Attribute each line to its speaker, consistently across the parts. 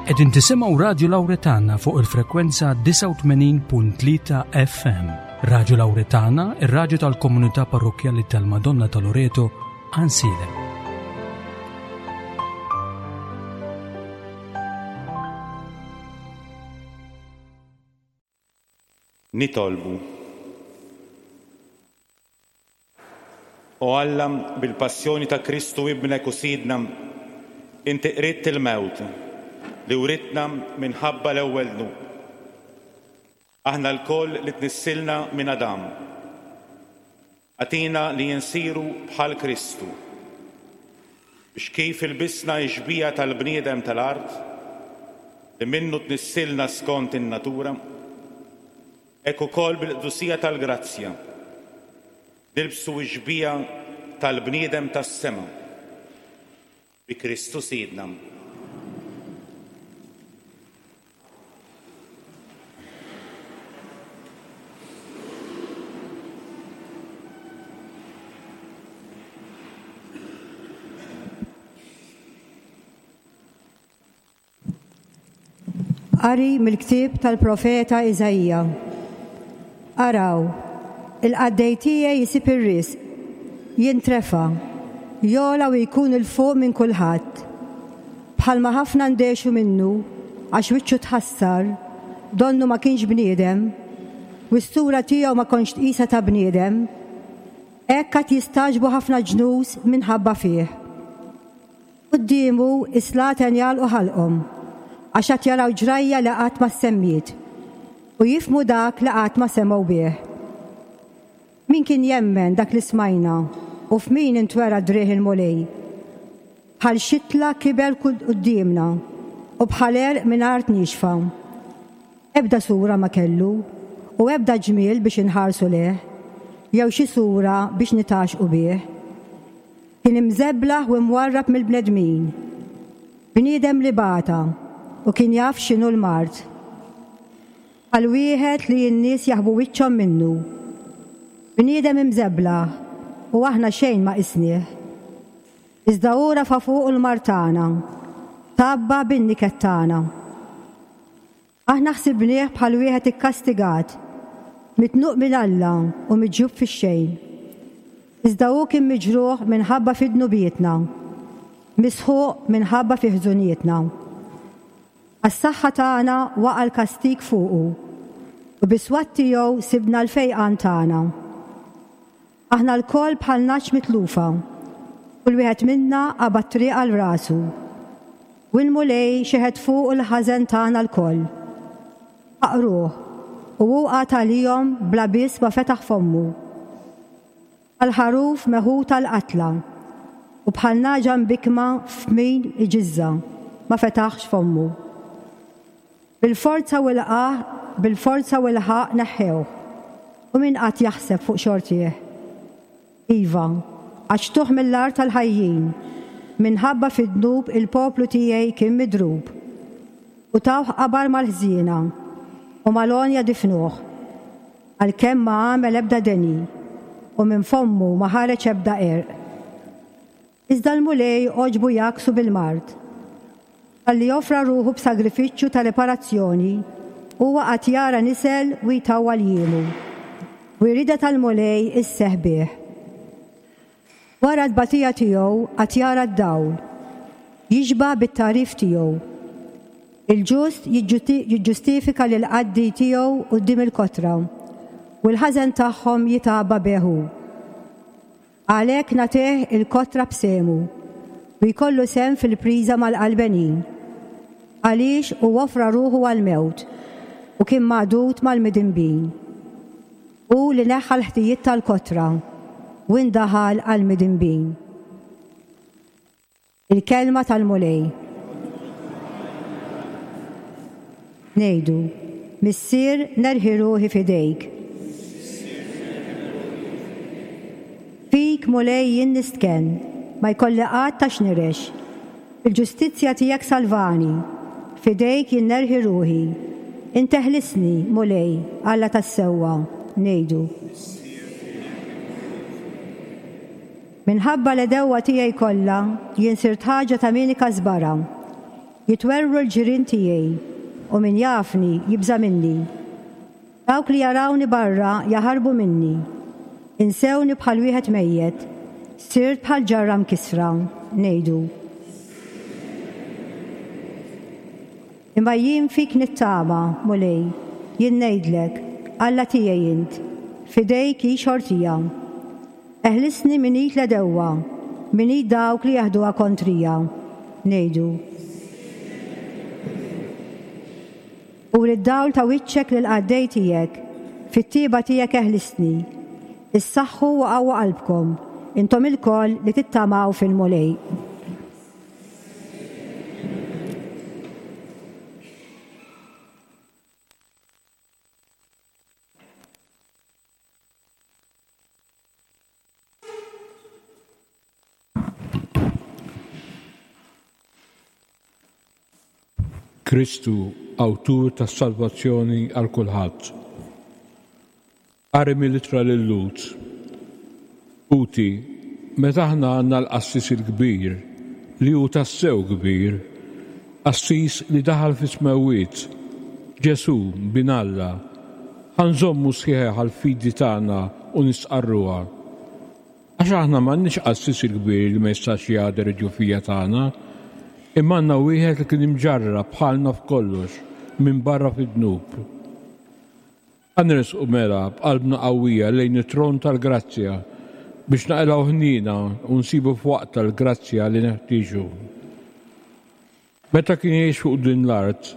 Speaker 1: Qegħdin tisimgħu Radju Lawretana fuq il-frekwenza 89.3 FM. Radju Lawretana, ir-radju tal-komunità parrokkjali tal-Madonna ta' Loreto, Għansielem.
Speaker 2: Nitolbu. O Alla, bil-passjoni ta' Kristu Ibnek u Sidna, inti qridt il-mewt li writna minħabba l-ewwel dnub. Aħna lkoll li tnissilna minn Adam. Agħtina li nsiru bħal Kristu, biex kif ilbisna x-xbieha tal-bniedem tal-art, li minnu tnissilna skont in-natura, hekk ukoll bil-qdusija tal-grazzja nilbsu x-xbieha tal-bniedem tas-sema, bi Kristu Sidna.
Speaker 3: Qari mill-ktieb tal-profeta Iżaija. Araw, il-qaddej tiegħi jsib ir-risq, jintrefa', jogħla u jkun 'il fuq minn kulħadd. Bħalma ħafna ndehxu minnu, għax wiċċu tħassar, donnu ma kienx bniedem, u s-sura tiegħu ma kontx tqisha ta' bniedem, hekk għad jistagħġbu ħafna ġnus minħabba fih. Quddiemu s-slaten jagħlqu ħalqhom, għax għad jaraw ġrajja li qatt ma ssemmiet, u jifhmu dak li qatt ma semgħu bih. Min kien jemmen dak li smajna, u f'min intwera driegħ il-Mulej? Bħal xitla kiber quddiemna, u bħal għerq minn art niexfa. Ebda sura ma kellu, u ebda ġmiel biex inħarsu lejh, jew xi sura biex nitgħaxxqu bih. Kien imżeblaħ u imwarrab mill-bnedmin. Bniedem li bata u kien jaf x'inhu l-mard. Bħal wieħed li n-nies jaħbu wiċċhom minnu. Bniedem imżeblaħ u aħna xejn ma qisnieh. Iżda hu rafa' fuqu l-mard tagħna, tgħabba bin-niket tagħna. Aħna ħsibnieh bħal wieħed ikkastigat, mitnuq minn Alla u miġjub fix-xejn. Iżda hu kien miġruħ minħabba fi dnubietna, misħuq minħabba fi ħżunietna. Għas-saħħa tagħna waqa' l-kastig fuqu, u bis-swat tiegħu sibna l-fejqan tagħna. Aħna lkoll bħal nagħaġ mitlufa, kull wieħed minna qabad triq għal rasu. U l-Mulej xeħet fuqu l-ħażen tagħna lkoll. Ħaqruh, u hu qagħad għalihom bla biss ma fetaħ fommu. Bħal ħaruf meħud għall-qatla, u bħal nagħġa mbikkma f'min iġiżżha, ma fetaħx fommu. Bil-forza u l-qah, bil-forza u l-ħaqq neħħewh, u min qagħad jaħseb fuq xortih? Iva, qaċċtuh mill-art tal-ħajjin, minħabba fid-dnub il-poplu tiegħi kien midrub. U tawh qabar mal-ħżiena, u mal-għonja difnuh, għalkemm ma għamel ebda deni, u minn fommu ma ħareġ ebda qerq. Iżda l-Mulej għoġbu jgħakksu bil-mard. Talli offra ruħu b'sagrifiċċju ta' riparazzjoni, huwa qagħad jara nisel u jtawwal jiemu, u r-rieda tal-Mulej isseħħ bih. Wara t-tbatija tiegħu qagħad jara d-dawl, jixba' bit-tagħrif tiegħu. Il-ġust jiġġustifika lill-qaddi tiegħu quddiem il-kotra, u l-ħażen tagħhom jitgħabba bih hu. Għalhekk nagħtih il-kotra b'sehmu, u jkollu sehem fil-priża mal-qalbenin, għaliex hu offra ruħu għall-mewt, u kien magħdud mal-midinbin. Hu li neħħa l-ħtijiet tal-kotra, u indaħal għall-midinbin. Il-Kelma tal-Mulej. Ngħidu, Missier, nerħi ruħi f'idejk. Fik, Mulej, jien nistkenn, ma jkolli qatt għax nirex. Fil-ġustizzja tiegħek salvani, f'idejk jien nerħi ruħi. Int eħlisni, Mulej, Alla tas-sewwa. Ngħidu. Minħabba l-għedewwa tiegħi kollha, jien sirt ħaġa ta' min ikasbarha. Jitwerwru l-ġirien tiegħi, u min jafni jibża' minni. Dawk li jarawni barra jaħarbu minni. Insewni bħal wieħed mejjet, sirt bħal ġarra mkissra, ngħidu. Imma jien fik nittama, Mulej, jien ngħidlek, Alla tiegħi int, f'idejk hi xortija. Eħlisni minn id l-għedewwa, minn id dawk li jeħduha kontrija. Ngħidu. Uri d-dawl ta' wiċċek lill-qaddej tiegħek, fit-tjieba tiegħek eħlisni. Issaħħu u qawwu qalbkom, intom ilkoll li tittamaw fil-Mulej.
Speaker 4: Kristu, awtur tas-salvazzjoni għal kulħadd. Qari mill-Ittra lil-Lhud. Ħuti, meta aħna għandna l-Qassis il-Kbir, li hu tassew kbir, qassis li daħal fis-smewwiet, Ġesù, Bin Alla, ħa nżommu sħiħ għall-fidi tagħna u nistqarruha. Għax aħna m'għandniex qassis il-kbir li ma jistax jagħder id-djufija tagħna, imma għandna wieħed li kien imġarrab bħalna f'kollox, minbarra fid-dnub. Ħa nersqu mela b'qalbna qawwija lejn it-tron tal-grazzja biex naqilgħu ħniena u nsibu f'waqtha l-grazzja li neħtieġu. Meta kien jgħix fuq din l-art,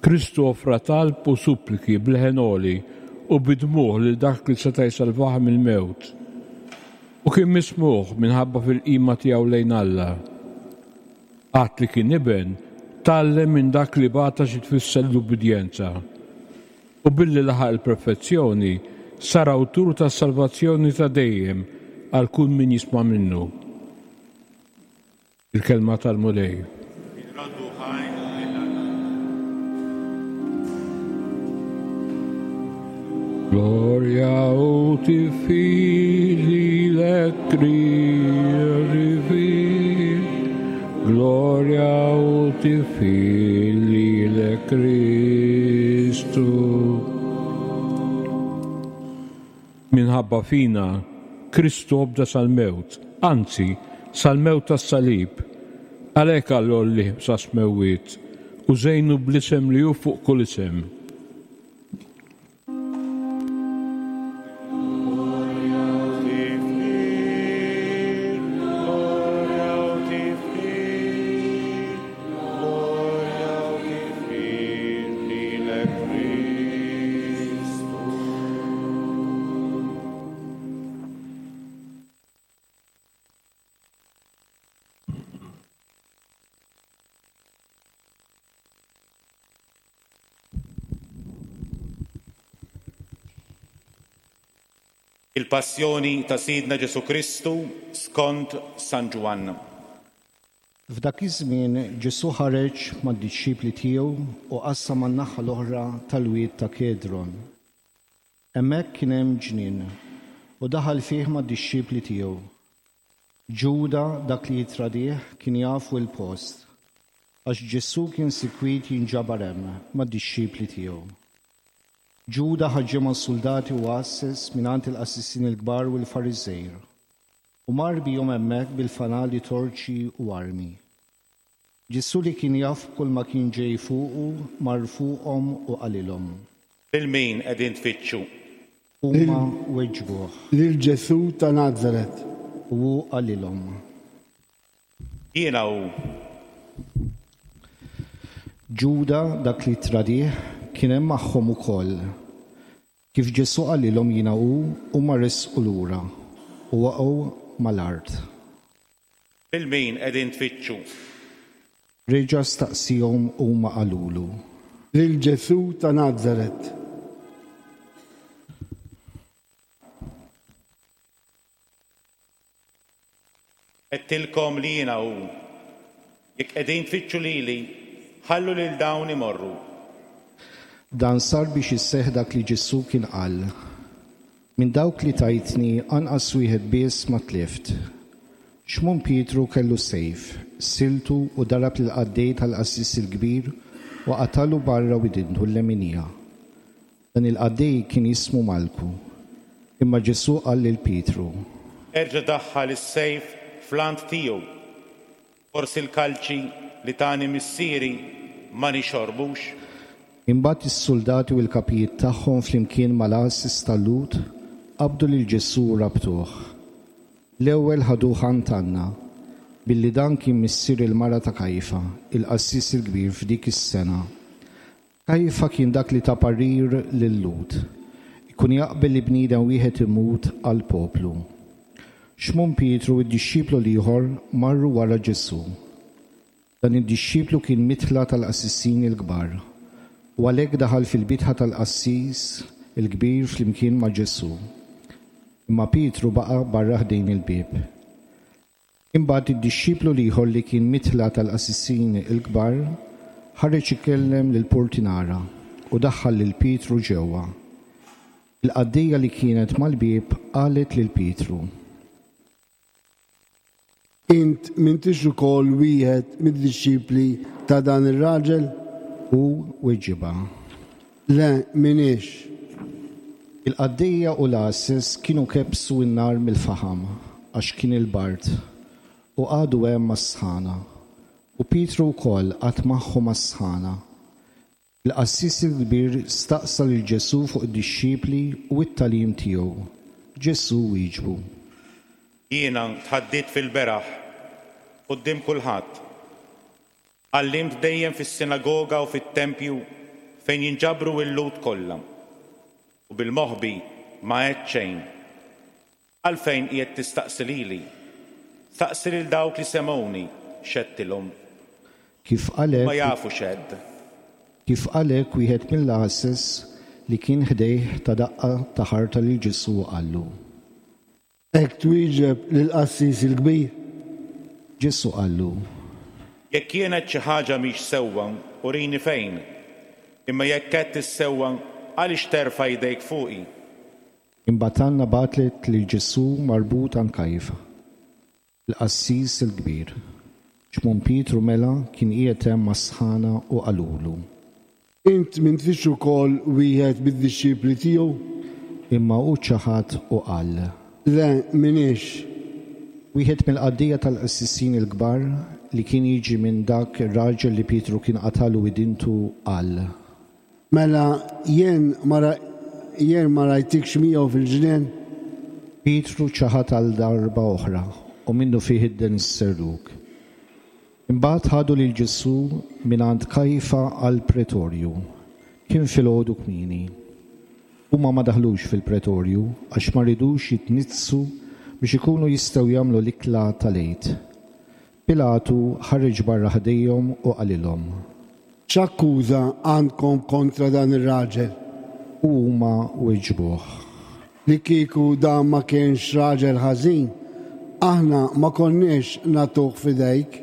Speaker 4: Kristu offra talb u suppliki b'leħen għoli u bid-dmugħ lil dak li seta' jsalvah mill-mewt. U kien mismugħ minħabba fil-qima tiegħu lejn Alla. Għad li kien iben, tgħallem minn dak li bata xi tfisser l-ubbidjenza. U billi laħaq il-perfezzjoni, sar awtur tas-salvazzjoni ta' dejjem għal kull min jisma' minnu. Il-Kelma tal-Mulej.
Speaker 2: Inroddu ħajr lil Alla.
Speaker 4: Glorja u tifħir lilek Kristu. Glorja u tifħir lilek Kristu. Minħabba fina, Kristu obda sal-mewt, anzi, sal-mewt tas-salib. Għalhekk Alla għollieh sas-smewwiet u żejnu bl-isem li hu fuq kull isem.
Speaker 2: Il-Passjoni ta' Sidna Ġesù Kristu skont San Ġwann.
Speaker 5: F'dak iż-żmien Ġesù ħareġ mad-dixxipli tiegħu u qassam għan-naħa l-oħra tal-wied ta' Kedron. Hemmhekk kien hemm ġnien, u daħal fih mad-dixxipli tiegħu. Ġuda, dak li jittradih, kien jafu l-post, għax Ġesù kien sikwit jinġabar hemm mad-dixxipli tiegħu. Ġuda ħa ġemgħa suldati u għasses mingħand il-qassisin il-kbar u l-Fariżej, u mar bihom hemmhekk bil-fanali torċi u armi. Ġesù li kien jaf b'kulma kien ġej fuqu, mar fuqhom u qalilhom.
Speaker 2: Lil min qegħdin tfittxu?
Speaker 5: Huma weġbuh.
Speaker 6: Lil Ġesù ta' Nazaret.
Speaker 5: U hu qalilhom.
Speaker 2: Jiena hu.
Speaker 5: Ġuda, dak li ttradih, kien hemm magħhom ukoll. Kif Ġesù qalilhom jiena hu, huma resqu lura u waqgħu mal-art.
Speaker 2: Lil min qegħdin tfittxu?
Speaker 5: Reġa' staqsiehom u huma qalulu.
Speaker 6: Lil Ġesù ta' Nazaret.
Speaker 2: Għedtilkom li jiena hu. Jekk qegħdin tfittxu lili, ħallu lil dawn imorru.
Speaker 5: Dan sar biex isseħħ dak li Ġesù kien qal, Minn dawk li tajtni anqas wieħed biss ma tlift. Xmun Pietru kellu sejf, siltu u darab lill-qaddej tal-qassis il-kbir u qatagħlu barra widintu l-leminija. Dan il-qaddej kien jismu Malku. Imma Ġesù qal lil Pietru.
Speaker 2: Erġa' daħħal is-sejf fl-għant tiegħu. Forsi l-kalċi li tani Missieri ma nixorbux?
Speaker 5: Imbagħad is-suldati u l-kapijiet tagħhom flimkien mal-għases tal-Lhud qabdu lil Ġesù u rabtuh. L-ewwel ħaduh għand Anna, billi dan kien missier il-mara ta' Kajfa, il-qassis il-kbir f'dik is-sena. Kajfa kien dak li ta parir lil-Lhud, Ikun jaqbel li bniedem wieħed imut għall-poplu. Xmun Pietru u d-dixxiplu l-ieħor marru wara Ġesù. Dan id-dixxiplu kien midħla tal-qassisin il-kbar, u għalhekk daħal fil-bitħa tal-qassis il-kbir flimkien ma' Ġesù. Imma Pietru baqa' barra ħdejn il-bieb. Imbagħad id-dixxiplu l-ieħor li kien midħla tal-qassisin il-kbar ħareġ ikellem lill-purtinara u daħħal lil Pietru ġewwa. Il-qaddejja li kienet mal-bieb qalet lil Pietru.
Speaker 6: Int m'intix ukoll wieħed mid-dixxipli ta' dan ir-raġel?
Speaker 5: Hu weġibha.
Speaker 6: Le, m'iniex.
Speaker 5: Il-qaddejja u l-għases kienu kebbsu n-nar mill-faħam, għax kien il-bard, u qagħdu hemm għas-sħana. U Pietru wkoll qagħad magħhom għas-sħana. Il-qassis il-kbir staqsa lil Ġesù fuq id-dixxipli u t-tagħlim tiegħu. Ġesù wieġbu.
Speaker 2: Jiena tħaddidt fil-beraħ, quddiem kulħadd. Għallimt dejjem fis-sinagoga u fit-tempju fejn jinġabru l-Lhud kollha, u bil-moħbi ma għedt xejn. Għalfejn qiegħed tistaqsi lili? Staqsi lil dawk li semgħuni x'għedtilhom.
Speaker 5: Kif qal
Speaker 2: Huma
Speaker 5: hekk,
Speaker 2: jafu x'għedt.
Speaker 5: Kif qal hekk wieħed mill-għases li kien ħdejh ta daqqa ta' ħarta lil Ġesù u qallu.
Speaker 6: Hekk twieġeb lill-qassis il-kbir?
Speaker 5: Ġesù qallu.
Speaker 2: Jekk jien għedt xi ħaġa mhix sewwa, urini fejn. Imma jekk għedt is-sewwa, għaliex terfa' jdejk fuqi?
Speaker 5: Imbagħad Anna bagħtet lil Ġesù marbut għand Kajfa, il-qassis il-kbir. Xmun Pietru mela kien qiegħed hemm mas-sħana u qalulu.
Speaker 6: Int m'intix ukoll wieħed mid-dixxipli tiegħu?
Speaker 5: Imma hu ċaħad u qal.
Speaker 6: Le, m'iniex.
Speaker 5: Wieħed mill-qaddejja tal-qassisin il-kbar, li kien jiġi minn dak ir-raġel li Pietru kien qatagħlu widintu, qal.
Speaker 6: Mela jien ma jien ma rajtikx miegħu fil-ġnien?
Speaker 5: Pietru ċaħad għal darba oħra, u minnufih idden is-serrug. Imbagħad ħadu lil Ġesù mingħand Kajfa għall-pretorju. Kien filgħodu kmieni. Huma ma daħlux fil-pretorju għax ma ridux jitniġġsu biex ikunu jistgħu jagħmlu l-ikla tal-Għid. Pilatu ħareġ barra ħdejhom u qalilhom.
Speaker 6: X'akkuża għandkom kontra dan ir-raġel?
Speaker 5: U huma weġbuh.
Speaker 6: Li kieku dan ma kienx raġel ħażin, aħna ma konniex nagħtuh f'idejk.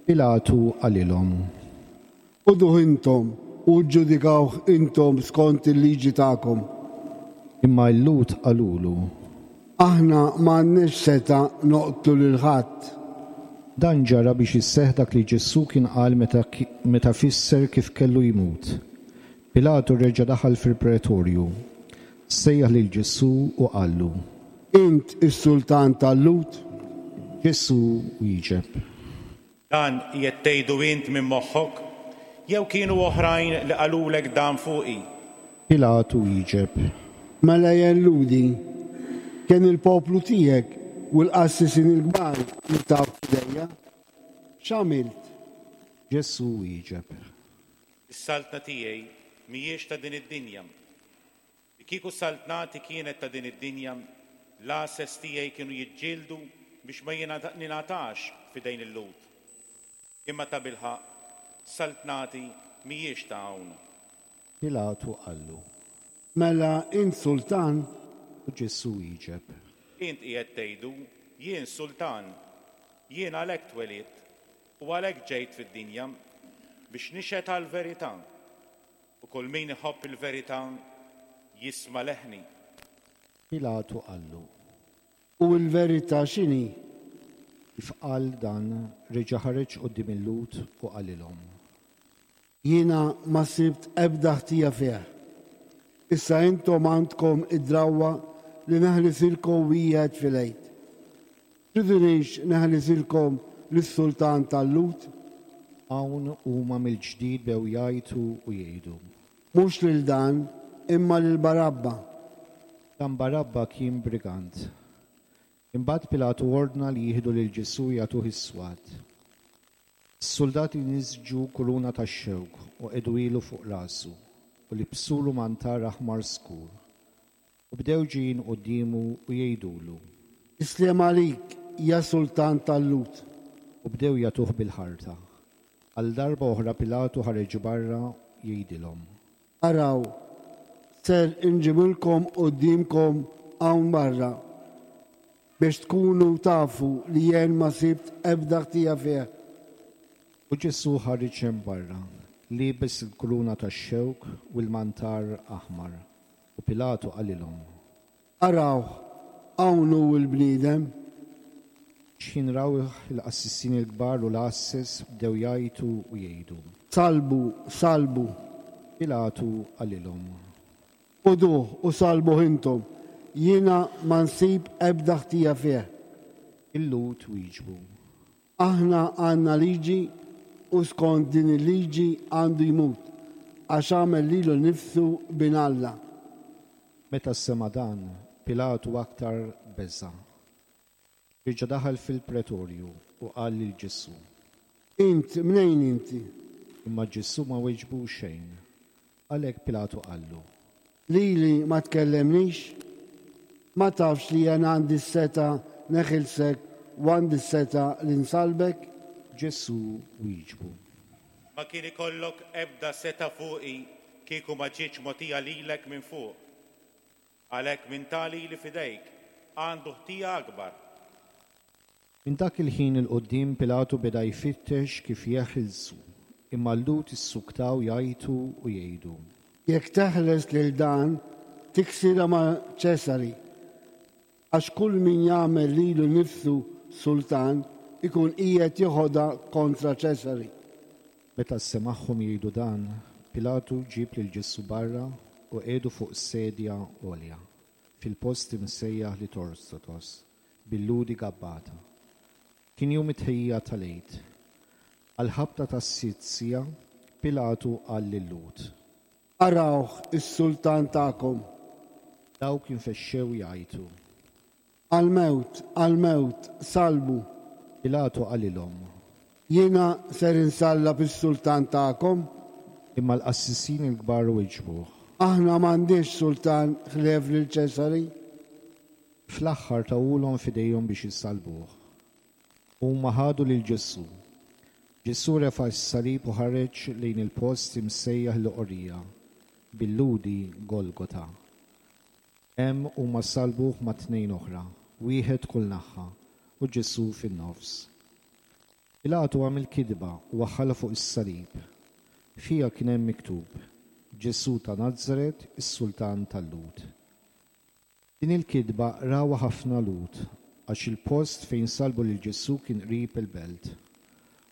Speaker 5: Pilatu qalilhom.
Speaker 6: Ħuduh intom u ġġudikawh intom skont il-liġi tagħkom.
Speaker 5: Imma l-Lhud qalulu.
Speaker 6: Aħna ma għandniex setgħa noqtlu lil ħadd.
Speaker 5: Dan ġara biex isseħħ dak li Ġesù kien qal meta meta fisser kif kellu jmut. Pilatu reġa' daħal fil-pretorju, sejjaħ lil Ġesù u qallu.
Speaker 6: Int is-sultan tal-Lhud?
Speaker 5: Ġesù wieġeb.
Speaker 2: Dan qiegħed tgħidu int minn moħħok, jew kienu oħrajn li qalulek dan fuqi?
Speaker 5: Pilatu wieġeb.
Speaker 6: Mela jien Lhudi? Kien il-poplu tiegħek u l-qassisin il-kbar li tawk f'idejja. X'għamilt?
Speaker 5: Ġesù wieġeb.
Speaker 2: Is-saltna tiegħi mhijiex ta' din id-dinja. Li kieku saltnati kienet ta' din id-dinja, l-għases tiegħi kienu jiġġieldu biex ma ningħatax f'idejn il-Lhud. Imma tabilħaqq, saltnati mhijiex ta' hawn.
Speaker 5: Pilatu qallu.
Speaker 6: Mela int sultan?
Speaker 5: U Ġesù wieġeb.
Speaker 2: Int qiegħed tgħidu, 'Jien sultan. Jien għalhekk twelidt, u għalhekk ġejt fid-dinja, biex nixhed għall-verità. U kull min iħobb il-verità jisma' leħni.
Speaker 5: Pilatu qallu.
Speaker 6: U l-verità x'inhi?
Speaker 5: Kif qal dan, reġa' ħareġ quddiem il-Lhud u qalilhom.
Speaker 6: Jiena ma sibt ebda ħtija fih. Issa intom għandkom id-drawwa li neħlisilkom wieħed fil-Għid. Tridunix neħlisilkom lis-sultan tal-Lhud?
Speaker 5: Hawn huma mill-ġdid bew jgħajtu u jgħidu.
Speaker 6: Mhux lil dan, imma lil Barabba.
Speaker 5: Dan Barabba kien brigant. Imbagħad Pilatu ordna li jieħdu lil Ġesù jagħtuh is-swat. Is-suldati nisġu kuruna tax-xewk u qegħduhielu fuq rasu, u libsulu mantar aħmar skur. U bdew ġejjin quddiemu u jgħidulu.
Speaker 6: Is-sliem għalik, ja sultan tal-Lhud!
Speaker 5: U bdew jagħtuh bil-ħarta. Għal darba oħra Pilatu ħareġ barra jgħidilhom.
Speaker 6: Araw, ser inġibilkom quddiemkom hawn barra, biex tkunu tafu li jien ma sibt ebda ħtija fih.
Speaker 5: U Ġesù ħareġ hemm barra, liebes il-kuruna tax-xewk u l-mantar aħmar. U Pilatu qalilhom.
Speaker 6: Arawh, hawn hu l-bniedem!
Speaker 5: X'ħin rawh il-qassisin il-kbar u l-għasses bdew jgħajtu u jgħidu.
Speaker 6: Sallbu, sallbu!
Speaker 5: Pilatu qalilhom.
Speaker 6: Ħuduh u sallbuh intom, jiena ma nsib ebda ħtija fih.
Speaker 5: Il-Lhud wieġbu.
Speaker 6: Aħna għandna liġi u skont din il-liġi għandu jmut, għax għamel lilu nnifsu Bin Alla.
Speaker 5: Meta sema' dan, Pilatu aktar beża'. Reġa' daħal fil-pretorju u qal lil Ġesù.
Speaker 6: Int mnejn inti?
Speaker 5: Imma Ġesù ma weġbu xejn. Għalhekk Pilatu qallu.
Speaker 6: Lili ma tkellemnix? Ma tafx li jien għandi s-setgħa neħilsek u għandi s-setgħa li nsallbek?
Speaker 5: Ġesù wieġbu.
Speaker 2: Ma kien ikollok ebda setgħa fuqi kieku ma ġietx mogħtija lilek minn fuq. Għalhekk min ta lili f'idejk għandu ħtija akbar.
Speaker 5: Minn dak il-ħin 'il quddiem Pilatu beda jfittex kif jeħilsu, imma l-Lhud issuktaw jgħajtu u jgħidu.
Speaker 6: Jekk teħles lil dan, tiksirha ma' Ċesari, għax kull min jagħmel lilu nnifsu sultan ikun qiegħed jeħodha kontra Ċesari.
Speaker 5: Meta semagħhom jgħidu dan, Pilatu ġieb lil Ġesù barra u qiegħdu fuq sedja għolja, fil-post imsejjaħ Litorstotos, bil-Lhudi Gabbata. Kien jum it-tħejjija tal-Għid. Għall-ħabta tas-sitt siegħa, Pilatu qal lil-Lhud.
Speaker 6: Arawh is-sultan tagħkom!
Speaker 5: Dawk infexxew jgħajtu.
Speaker 6: Għall-mewt, għall-mewt, sallbu!
Speaker 5: Pilatu qalilhom.
Speaker 6: Jiena ser insallab is-sultan tagħkom?
Speaker 5: Imma l-qassisin il-kbar wieġbuh.
Speaker 6: Aħna m'għandniex sultan ħlief lil Ċesari.
Speaker 5: Fl-aħħar tawhulhom f'idejhom biex isallbuh. Huma ħadu lil Ġesù. Ġesù refa' s-salib u ħareġ lejn il-post imsejjaħ l-Oqorija, bil-Lhudi Golgota. Hemm huma sallbuh ma' tnejn oħra, wieħed kull naħa, u Ġesù fin-nofs. Pilatu għamel kitba u waħħalha fuq is-salib. Fiha kien hemm miktub, Ġesù ta' Nazaret, is-Sultan tal-Lhud. Din il-kitba qrawha ħafna Lhud, għax il-post fejn sallbu lil Ġesù kien qrib il-belt.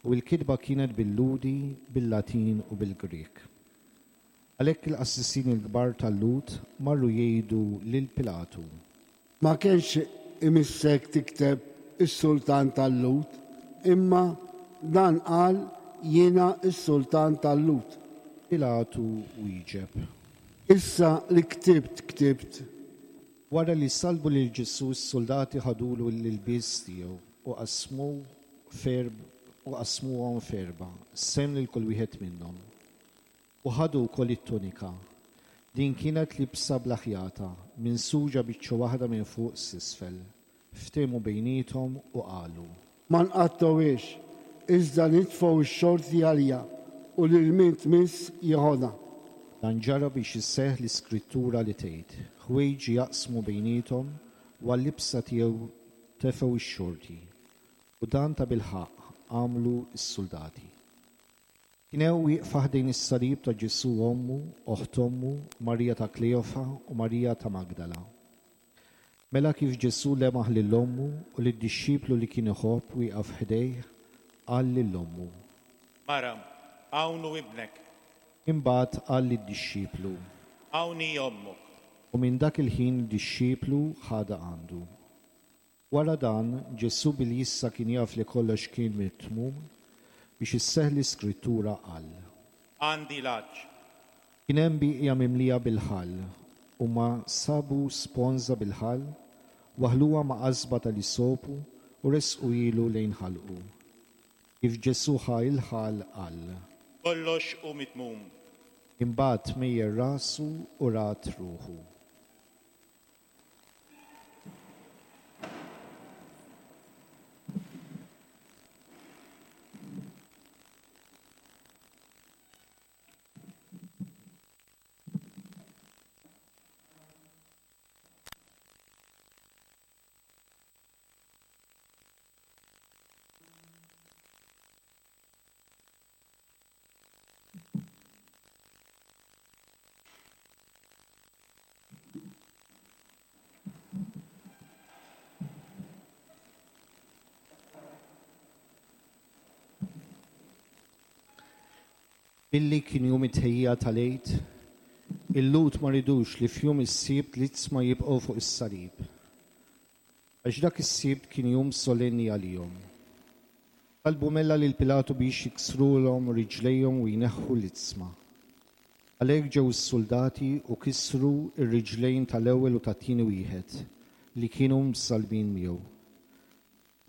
Speaker 5: U l-kitba kienet bil-Lhudi, bil-Latin u bil-Grieg. Għalhekk il-qassisin il-kbar tal-Lhud marru jgħidu lil Pilatu.
Speaker 6: Ma kienx imissek tikteb 'Is-Sultan tal-Lhud', imma dan qal 'Jiena s-Sultan tal-Lhud'.
Speaker 5: Pilatu wieġeb.
Speaker 6: Issa li ktibt ktibt.
Speaker 5: Wara li sallbu lil Ġesù s-suldati ħadulu l-ilbies tiegħu u qasmuh u qasmuhom f'erbgħa, sehem lil kull wieħed minnhom. U ħadu wkoll it-tunika. Din kienet libsa bla ħjata, minsuġa biċċa waħda minn fuq s'isfel. Ftehmu bejniethom u qalu.
Speaker 6: Ma nqattgħuhiex, iżda nitfgħu x-xorti għaliha, u lil min tmiss jeħodha.
Speaker 5: Dan ġara biex isseħħ l-iskrittura li tgħid, Ħwejġi jaqsmu bejniethom, u għal-libsa tiegħu tefgħu x-xorti. U dan tabilħaqq għamlu s-suldati. Kien hemm wieqfa ħdejn is-salib ta' Ġesù ommu, oħt ommu, Marija ta' Kleofa u Marija ta' Magdala. Mela kif Ġesù lemaħ lil ommu u lid-dixxiplu li kien iħobb wieqaf ħdejh, qal lil ommu.
Speaker 2: Mara, hawn hu ibnek.
Speaker 5: Imbagħad qal lid-dixxiplu.
Speaker 2: Hawn hi ommok.
Speaker 5: U minn dak il-ħin id-dixxiplu ħadha għandu. Wara dan, Ġesù billi issa kien jaf li kollox kien mitmum, biex isseħħ l-Iskrittura qal.
Speaker 2: Għandi l-għatx.
Speaker 5: Kien hemm bieqja mimlija bil-ħall. Huma sabu sponża bil-ħall, waħħluha ma' qasba tal-isopu u ressquhielu lejn ħalqu. Kif Ġesù ħa l-ħall, qal.
Speaker 2: Kollox hu mitmum.
Speaker 5: Imbagħad mejjel rasu u rad ruħu. Billi kien jum it-tħejjija tal-Għid, il-Lhud ma ridux li f'jum is-Sibt l-iġsma jibqgħu fuq is-salib. Għax dak is-Sibt kien jum solenni għalihom. Talbu mela lil Pilatu biex jiksrulhom riġlejhom u jneħħu l-iġsma. Għalhekk ġew is-suldati u kisru r-riġlejn tal-ewwel u tat-tieni wieħed li kienu msallbin miegħu.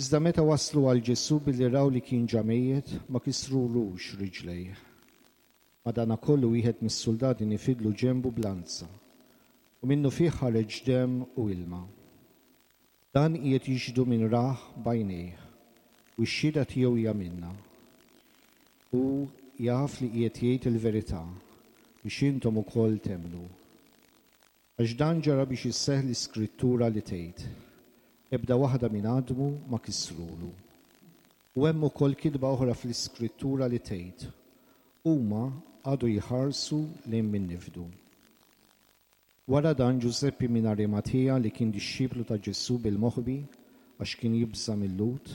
Speaker 5: Iżda meta waslu għal Ġesù billi raw li kien ġa mejjet, ma kisrulux riġlejh. Madankollu wieħed mis-suldati nifidlu ġenbu b'lanza, u minnufih ħareġ demm u ilma. Dan qiegħed jixhdu min rah b'għajnejh, u x-xhieda tiegħu hija minnha. Hu jaf li qiegħed jgħid il-verità, biex intom ukoll temmnu. Għax dan ġara biex isseħħ l-Iskrittura li tgħid, Ebda waħda minn għadmu ma kisrulu. U hemm ukoll kitba oħra fl-Iskrittura li tgħid, Huma qagħdu jħarsu lejn min nifdu. Wara dan Ġużeppi minn Arimatija li kien dixxiplu ta' Ġesù bil-moħbi għax kien jibża' mil-Lhud,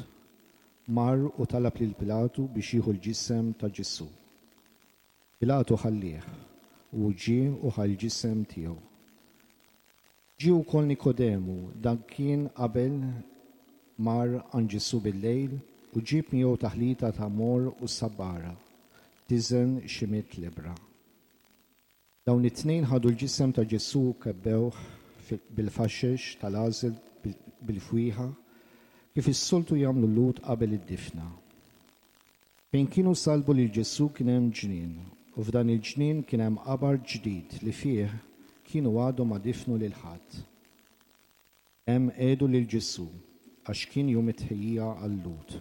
Speaker 5: mar u talab lil Pilatu biex jieħu l-ġisem ta' Ġesù. Pilatu ħallieh, u hu ġie u ħa l-ġisem tiegħu. Ġie wkoll Nikodemu, dan kien qabel mar għand Ġesù bil-lejl u ġieb miegħu taħlita ta' morr u sabbara, tiżen xi mitt libbra. Dawn it-tnejn ħadu l-ġisem ta' Ġesù u kebbewh bil-faxex tal-għażel bil-fwieħa, kif is-soltu jagħmlu l-Lhud qabel id-difna. Fejn kienu sallbu lil Ġesù kien hemm ġnien, u f'dan il-ġnien kien hemm qabar ġdid li fih kienu għadhom ma difnu lil ħadd. Hemm qiegħdu lil Ġesù, għax kien jum it-tħejjija għal-Lhud,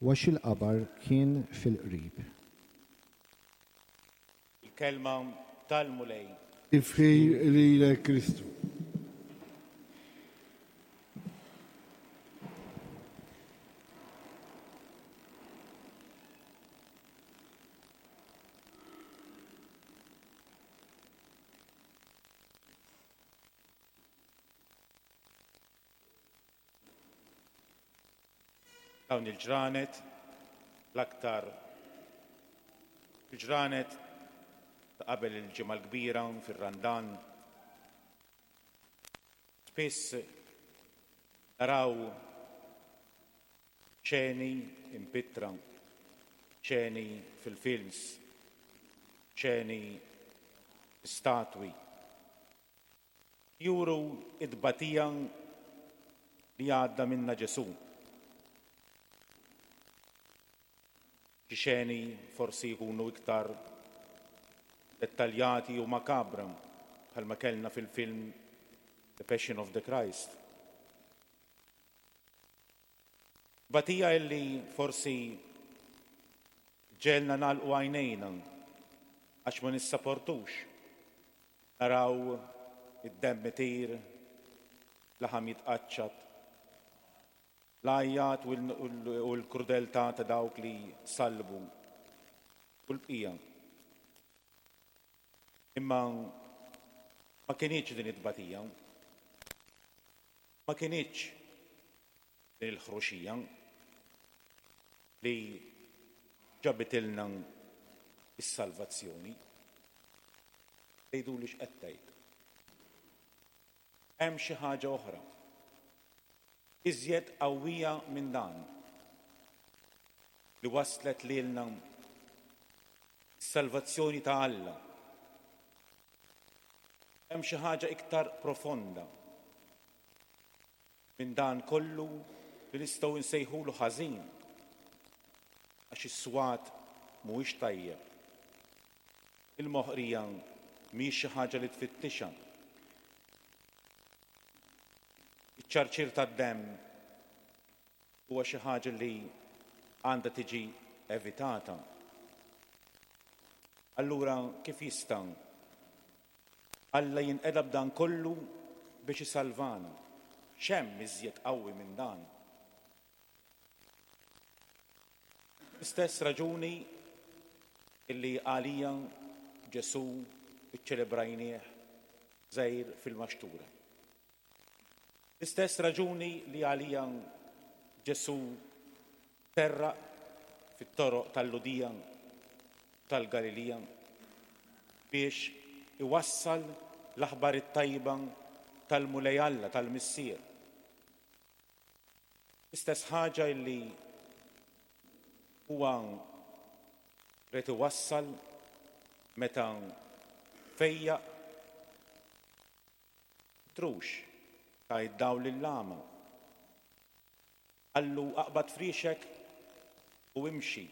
Speaker 5: u għax il-qabar kien fil-qrib.
Speaker 2: Il-Kelma tal-Mulej.
Speaker 6: Tifħir lilek Kristu.
Speaker 2: Dawn il-ġranet, l-aktar il-ġranet ta' qabel il-Ġimgħa l-Kbira fir-Randan, spiss naraw xeni impittra, xeni fil-films, xeni statwi Juru t-tbatija li għadda minnha Ġesù. Xi xeni forsi jkunu iktar dettaljati u makabra bħalma kellna fil-film The Passion of the Christ. Tbatija illi forsi ġġegħelna nagħlqu għajnejna għax ma nissaportux Naraw id-demm itir, laħam jitqaċċat, l-għajjat u l-krudeltà ta' dawk li sallbu u l-bqija. Imma ma kinitx din it-tbatija. Ma kinitx din il-ħruxija li ġabitilna s-salvazzjoni. Tgħiduli x'qed tgħid. Hemm xi ħaġa oħra, iżjed qawwija minn dan, li wasslet lilna s-salvazzjoni ta' Alla. Hemm xi ħaġa iktar profonda minn dan kollu li nistgħu nsejħulu ħażin għax is-swat mhuwiex tajjeb. Il-moħqrija mhijiex xi ħaġa li tfittixha. Iċ-ċarċir tad-demm huwa xi ħaġa li għandha tiġi evitata. Allura kif jista' Alla jinqeda b'dan kollu biex isalvana? X'hemm iżjed qawwi minn dan? L-istess raġuni illi għalija Ġesù ċċelebrajnieh żgħir fil-maxtura. L-istess raġuni li għalija Ġesù terraq fit-toroq tal-Lhudija tal-Galilija biex iwassal l-aħbar it-tajba tal-Mulej Alla tal-Missier. L-istess ħaġa illi huwa ried iwassal meta fejjaq trux ta id-dawl lill-agħma. Qallu aqbad friexek u imxi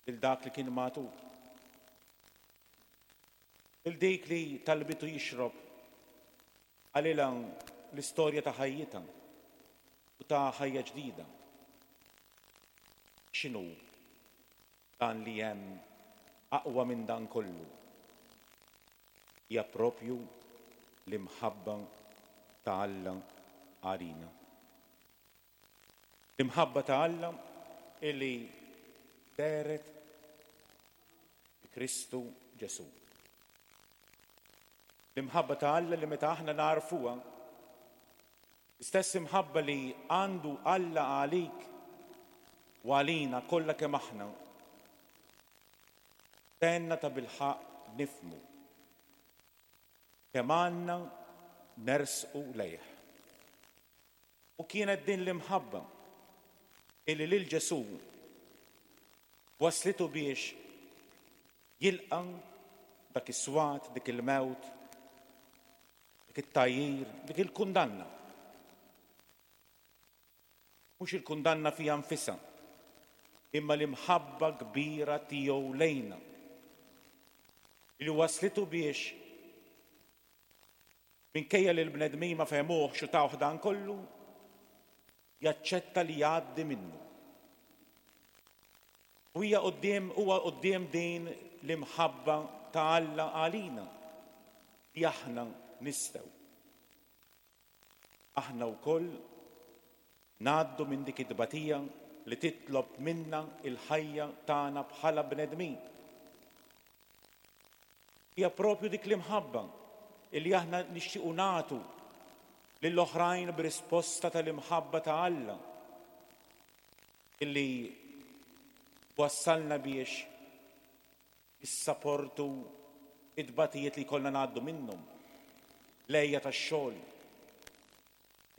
Speaker 2: lil dak li kien magħtub. Lil dik li talbitu jixrob qalilha l-istorja ta' ħajjitha u ta' ħajja ġdida. X'inhu dan li hemm aqwa minn dan kollu? Hija propju l-imħabba ta' Alla għalina. L-imħabba ta' Alla illi dehret fi Kristu Ġesù. L-imħabba ta' Alla li meta aħna nagħrfuha, l-istess imħabba li għandu Alla għalik u għalina kollha kemm aħna, tgħinna tabilħaqq nifhmu kemm għandna nersqu lejh. U kienet din l-imħabba illi lil Ġesù wasslitu biex jilqa' dak is-swat, dik il-mewt, dik it-tgħajjir, dik il-kundanna. Mhux il-kundanna fiha nfisha, imma l-imħabba kbira tiegħu lejna li wasslitu biex Minkejja li l-bnedmin ma fehmuhx u tawh dan kollu, jaċċetta li jgħaddi minnu. U hija quddiem huwa quddiem din l-imħabba ta' Alla għalina li aħna nistgħu. Aħna wkoll ngħaddu minn dik it-tbatija li titlob minna l-ħajja tagħna bħala bnedmin. Hija propju dik l-imħabba li aħna nixtiequ nagħtu lill-oħrajn b'risposta tal-imħabba ta' Alla illi twassalna biex nissaportu it-tbatijiet li jkollna ngħaddu minnhom, l-għeja tax-xogħol.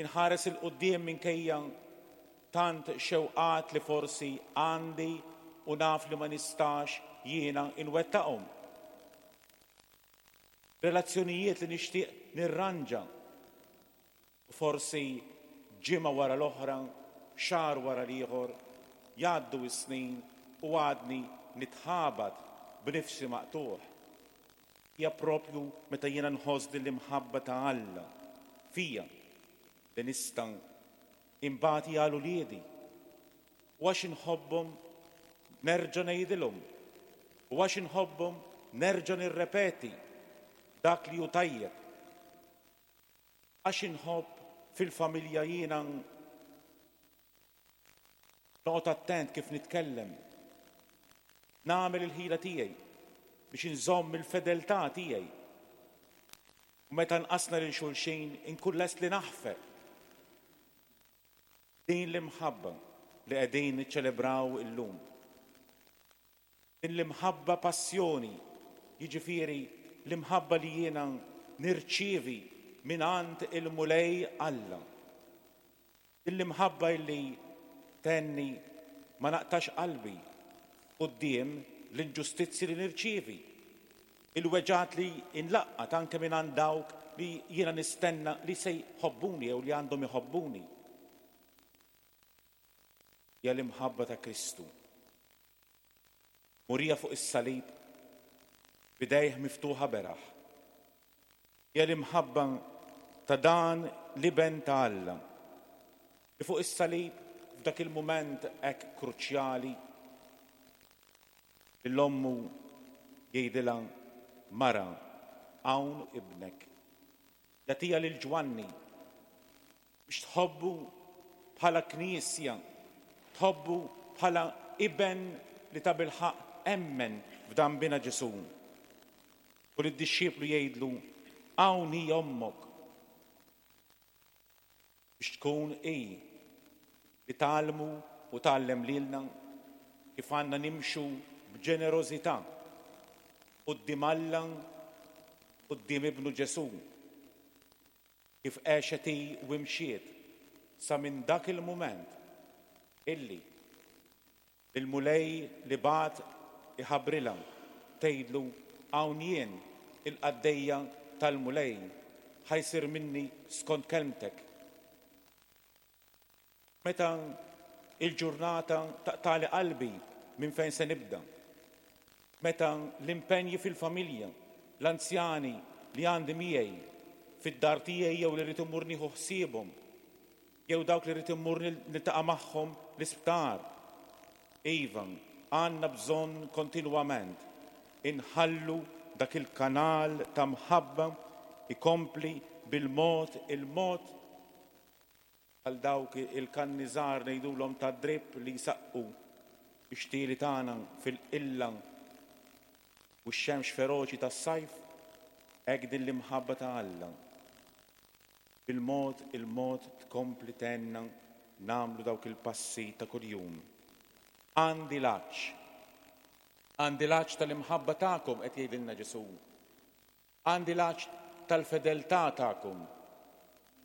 Speaker 2: Inħares 'il quddiem minkejja tant xewqat li forsi għandi u naf li ma nistax jiena inwettaqhom. Relazzjonijiet li nixtieq nirranġa u forsi ġimgħa wara l-oħra, xahar wara l-ieħor, jgħaddu s-snin u għadni nitħabat b'nifsi maqtugħ. Hija proprju meta jiena nħoss din l-imħabba ta' Alla fija li nista' inbati għal uliedi. U għax inħobbhom nerġa' ngħidilhom. U għax inħobbhom nerġa' nirrepeti dak li hu tajjeb. Għax inħobb fil-familja jiena Noqgħod attent kif nitkellem. Nagħmel il-ħila tiegħi biex inżomm il-fedeltà tiegħi. U meta nqasna lil xulxin inkun lest li naħfer. Din l-imħabba li qegħdin niċċelebraw illum. Din l-imħabba passjoni, jiġifieri l-imħabba li jiena nirċievi mingħand il-Mulej Alla. Din l-imħabba illi tgħinni ma naqtax qalbi quddiem l-inġustizzji li nirċievi, il-weġgħat li nlaqqat anke mingħand dawk li jiena nistenna li se jħobbuni jew li għandhom iħobbuni. Hija l-imħabba ta' Kristu. Murija fuq is-salib b'idejh miftuħa beraħ. Hija l-imħabba ta' dan l-Iben ta' Alla li fuq is-salib f'dak il-mument hekk kruċjali lil ommu jgħidilha mara hawn ibnek. Jagħtiha lil Ġwanni biex tħobbu bħala Knisja, tħobbu bħala iben li tabilħaqq emmen f'dan Binha Ġesù. U lid-dixxiplu jgħidlu, Hawn hi ommok. Biex tkun hi li tgħallmu u tgħallem lilna kif għandna nimxu b'ġenerożità quddiem Alla, quddiem Ibnu Ġesù. Kif għexet hi u imxiet sa minn dak il-mument illi l-Mulej li bagħat iħabbrilha, tgħidlu, Hawn jien, il-qaddejja tal-Mulej, ħa jsir minni skont kelmtek. Meta l-ġurnata taqtagħli qalbi minn fejn se nibda? Meta l-impenji fil-familja, l-anzjani li għandi miegħi fid-dar tiegħi jew li rrid immur nieħu ħsiebhom, jew dawk li rrid immur niltaqa' magħhom l-isptar. Iva, għandna bżonn kontinwament inħallu dak il-kanal ta' mħabba jkompli bil-mod il-mod Bħal dawk il-kanni żgħar ngħidulhom tad-dripp li jsaqqu x-xtieli tagħna fil-qilla u x-xemx feroċi tas-sajf, hekk din l-imħabba ta' Alla bil-mod il-mod tkompli tgħinna nagħmlu dawk il-passi ta' kuljum. Għandi l-għatx. Għandi l-għatx tal-imħabba tagħkom qed jgħidilna Ġesù. Għandi l-għatx tal-fedeltà tagħkom.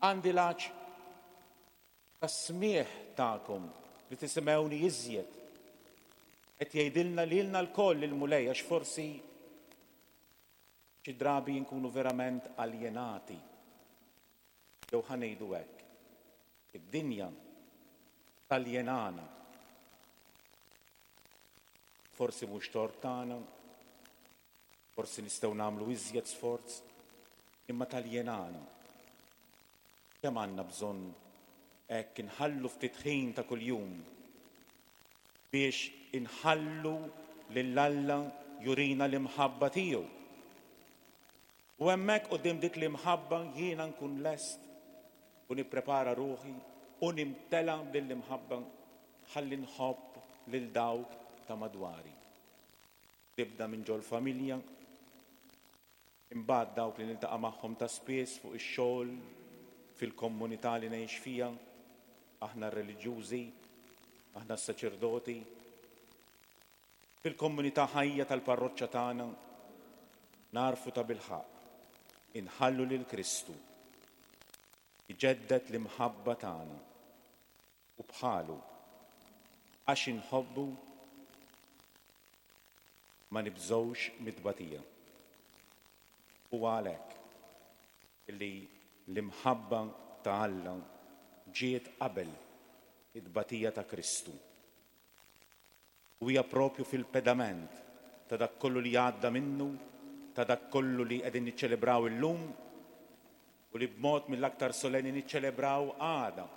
Speaker 2: Għandi l-għatx tas-smigħ tagħkom li tisimgħuni iżjed. Qed jgħidilna lilna lkoll il-Mulej għax forsi xi drabi nkunu verament aljenati. Jew ħa ngħidu hekk, id-dinja taljenana. Forsi mhux tort tagħna, Forsi nistgħu nagħmlu iżjed sforz, imma taljenana. Kemm għandna bżonn hekk inħallu ftit ħin ta' kuljum biex inħallu lil Alla jurina l-imħabba tiegħu. U hemmhekk quddiem dik l-imħabba jiena nkun lest u nipprepara ruħi u nimtela b'din l-imħabba ħalli nħobb lil dawk ta' madwari. Tibda minn ġol-familja, imbagħad dawk li niltaqa' magħhom ta' spiss fuq ix-xogħol, fil-komunità li ngħix fiha, aħna r-reliġjużi, aħna s-saċerdoti, fil-komunità ħajja tal-parroċċa tagħna, nagħrfu tabilħaqq inħallu lil Kristu jġedded l-imħabba tagħna u bħalu, għax inħobbu ma nibżgħux mit-tbatija. Huwa għalhekk li l-imħabba ta' Alla ġiet qabel it-tbatija ta' Kristu. U hija propju fil-pedament ta' dak kollu li għadda minnu, ta' dak kollu li qegħdin niċċelebraw illum u li b'mod mill-aktar solenni niċċelebraw għada.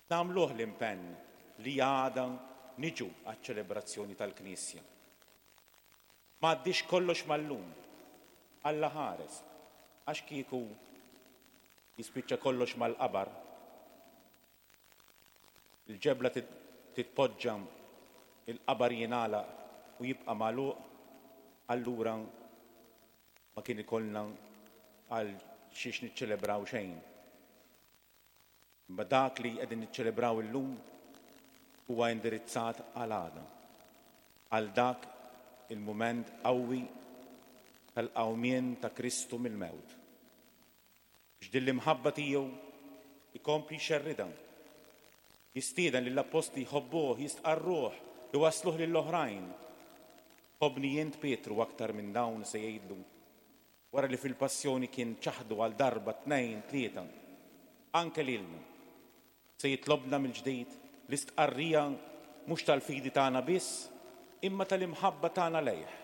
Speaker 2: Nagħmluh l-impenn li għada niġu għaċ-ċelebrazzjoni tal-Knisja. Ma għaddiex kollox mal-lum. Alla ħares, għax kieku jispiċċa kollox mal-qabar, Il-ġebla titpoġġa, il-qabar jingħalaq u jibqa' magħluq, allura ma kien ikollna għal xiex niċċelebraw xejn. Imma dak li qegħdin niċċelebraw illum huwa indirizzat għal għada, għal dak il-mument qawwi tal-qawmien ta' Kristu mill-mewt. Biex din l-imħabba tiegħu jkompli jxerridha. Jistieden lill-appostli jħobbuh, jistqarruh, iwassluh lill-oħrajn. Tħobbni int Pietru aktar minn dawn se jgħidlu wara li fil-passjoni kien ċaħdu għal darba, tnejn, tlieta. Anke lilna. Se jitlobna mill-ġdid l-istqarrija mhux tal-fidi tagħna biss, imma tal-imħabba tagħna lejh.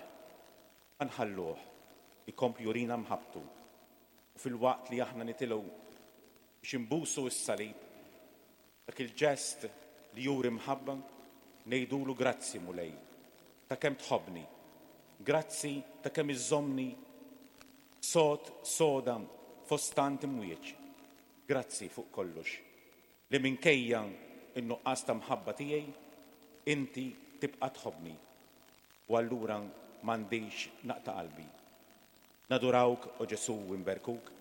Speaker 2: Ħa nħalluh ikompli jurina mħabbtu. U filwaqt li aħna nitilgħu biex inbusu s-salib, dak il-ġest li juri mħabba, ngħidulu grazzi Mulej ta' kemm tħobbni, grazzi ta' kemm iżżommni sod soda fost tant imwieġ. Grazzi fuq kollox li minkejja n-nuqqas ta' mħabba tiegħi, inti tibqa' tħobbni u allura m'għandix naqta' qalbi. Nadurawk, o Ġesù, u nberkuk.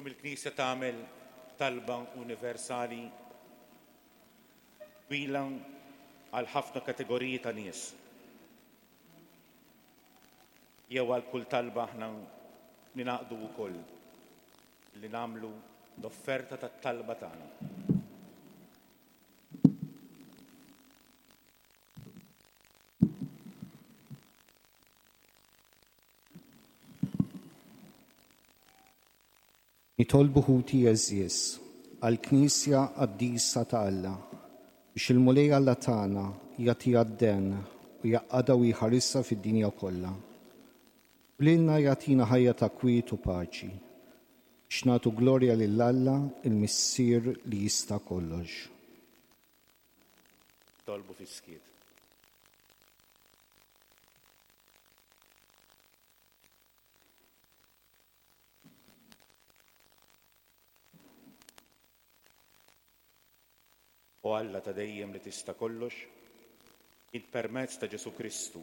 Speaker 2: Illum il-Knisja tagħmel talba universali twila għal ħafna kategoriji ta' nies. Jew għal kull talba aħna ninaqdu wkoll li nagħmlu l-offerta tat-talba tagħna.
Speaker 5: Nitolbu ħuti għeżież għall-Knisja qaddisa ta' Alla, biex il-Mulej Alla tagħna jagħtiha d-den u jgħaqqadha u jħarisha fid-dinja kollha. U lilna jagħtina ħajja ta' kwiet u paċi, biex nagħtu glorja lil Alla il-Missier li jista' kollox.
Speaker 2: Nitolbu fis-skiet. O Alla ta' dejjem li tista' kollox, int permezz ta' Ġesù Kristu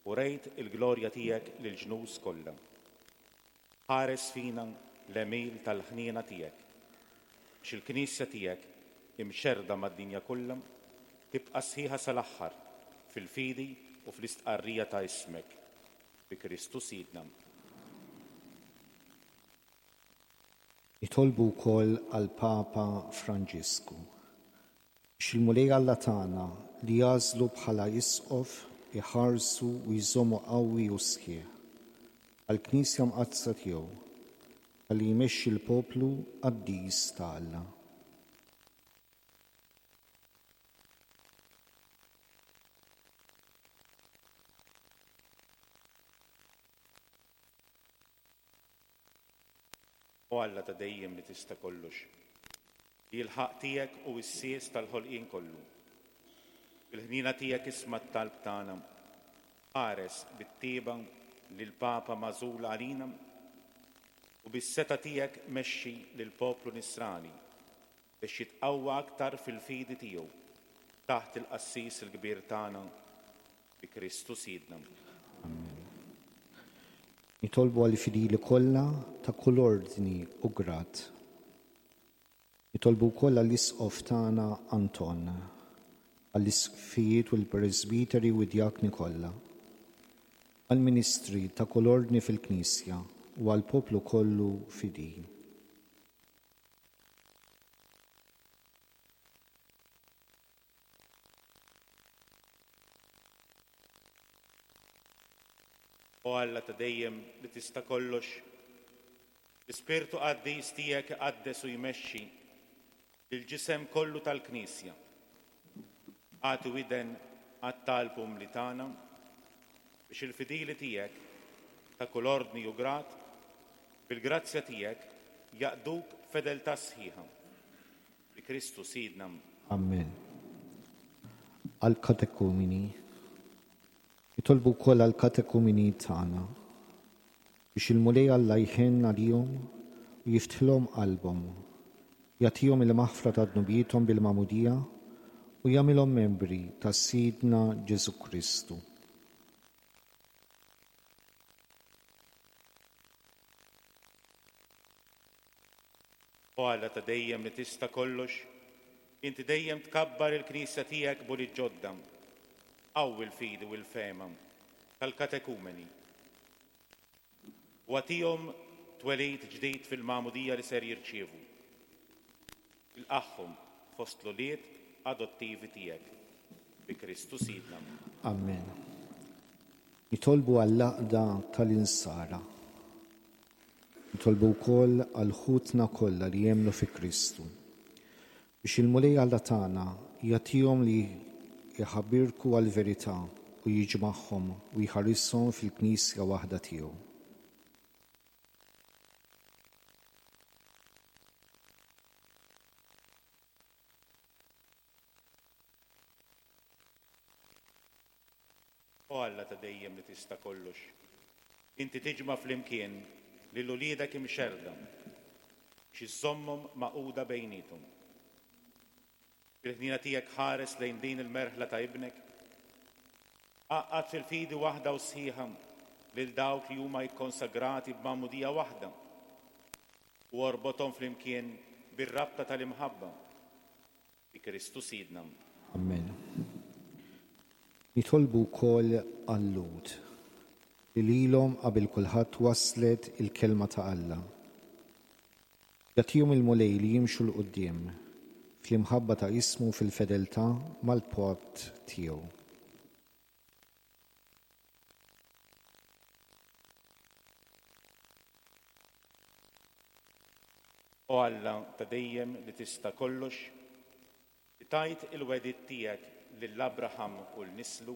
Speaker 2: urejt il-glorja tiegħek lill-ġnus kollha. Ħares fina l-għemil tal-ħniena tiegħek, biex il-Knisja tiegħek, imxerrda mad-dinja kollha, tibqa' sħiħa sal-aħħar fil-fidi u fl-istqarrija ta' ismek, bi Kristu Sidna.
Speaker 5: Nitolbu wkoll għall-Papa Franġisku, biex il-Mulej Alla tagħna li għażlu bħala Isqof iħarsu u jżommu qawwi u sħiħ għall-Knisja Mqaddsa tiegħu, ħalli jmexxi l-poplu qaddis ta' Alla.
Speaker 2: O Alla ta' dejjem li tista' kollox, li l-ħaqq tiegħek hu s-sies tal-ħolqien kollu. Bil-ħniena tiegħek isma' t-talb tagħna. Ħares bit-tjieba lill-Papa magħżul għalina u bis-setgħa tiegħek mexxi lill-poplu Nisrani biex jitqawwa aktar fil-fidi tiegħu taħt il-Qassis il-Kbir tagħna, bi Kristu Sidna.
Speaker 5: Amen. Nitolbu għall-fidili kollha ta' kull ordni u grad. Nitolbu wkoll għall-Isqof tagħna Anton, għall-isqfijiet u l-presbiteri u d-djakni kollha, għall-ministri ta' kull ordni fil-Knisja u għall-poplu kollu fidil.
Speaker 2: O Alla ta' dejjem li tista' kollox, l-Ispirtu Qaddis tiegħek iqaddes u jmexxi. Lill-ġisem kollu tal-Knisja. Agħti widen għat-talb umli tagħna biex il-fidili tiegħek ta' kull ordni u grad, bil-grazzja tiegħek jaqduk b'fedeltà sħiħa. Bi Kristu Sidna.
Speaker 5: Amen. Għall-katekumini. Nitolbu wkoll għall-katekumini tagħna biex il-Mulej Alla jħenn għalihom u jiftħilhom qalbhom, jagħtihom il-maħfra ta' dnubiethom bil-magħmudija u jagħmilhom membri ta' Sidna Ġesù Kristu.
Speaker 2: O Alla ta' dejjem li tista' kollox, inti dejjem tkabbar il-Knisja tiegħek b'ulied ġodda. Qawwi l-fidi u l-fehma tal-katekumeni u agħtihom twelid ġdid fil-magħmudija li ser jirċievu. Ilqagħhom fost l-ulied adottivi tiegħek. Bi Kristu Sidna.
Speaker 5: Amen. Nitolbu għall-għaqda tal-insara. Nitolbu wkoll għal ħutna kollha li jemmnu fi Kristu, biex il-Mulej Alla tagħna jagħtihom li jħabirku għall-verità u jiġmagħhom u jħarishom fil-Knisja waħda tiegħu.
Speaker 2: O Alla ta' dejjem li tista' kollox, inti tiġma' flimkien lil uliedek imxerrda biex iżżommhom magħquda bejniethom. Bil-ħniena tiegħek ħares lejn din il-merħla ta' Ibnek. Għaqqad fil-fidi waħda u sħiħa lil dawk li huma ikkonsagrati b'magħmudija waħda u orbothom flimkien bir-rabta tal-imħabba. Bi Kristu Sidna.
Speaker 5: Amen. Nitolbu wkoll għal-Lhud, li lilhom qabel kulħadd waslet il-kelma ta' Alla. Jagħtihom il-Mulej li jimxu 'l quddiem fl-imħabba ta' ismu u fil-fedeltà mal-patt tiegħu.
Speaker 2: O Alla ta' dejjem li tista' kollox, li tajt il-wegħdiet tiegħek lil Abraham u 'l nislu,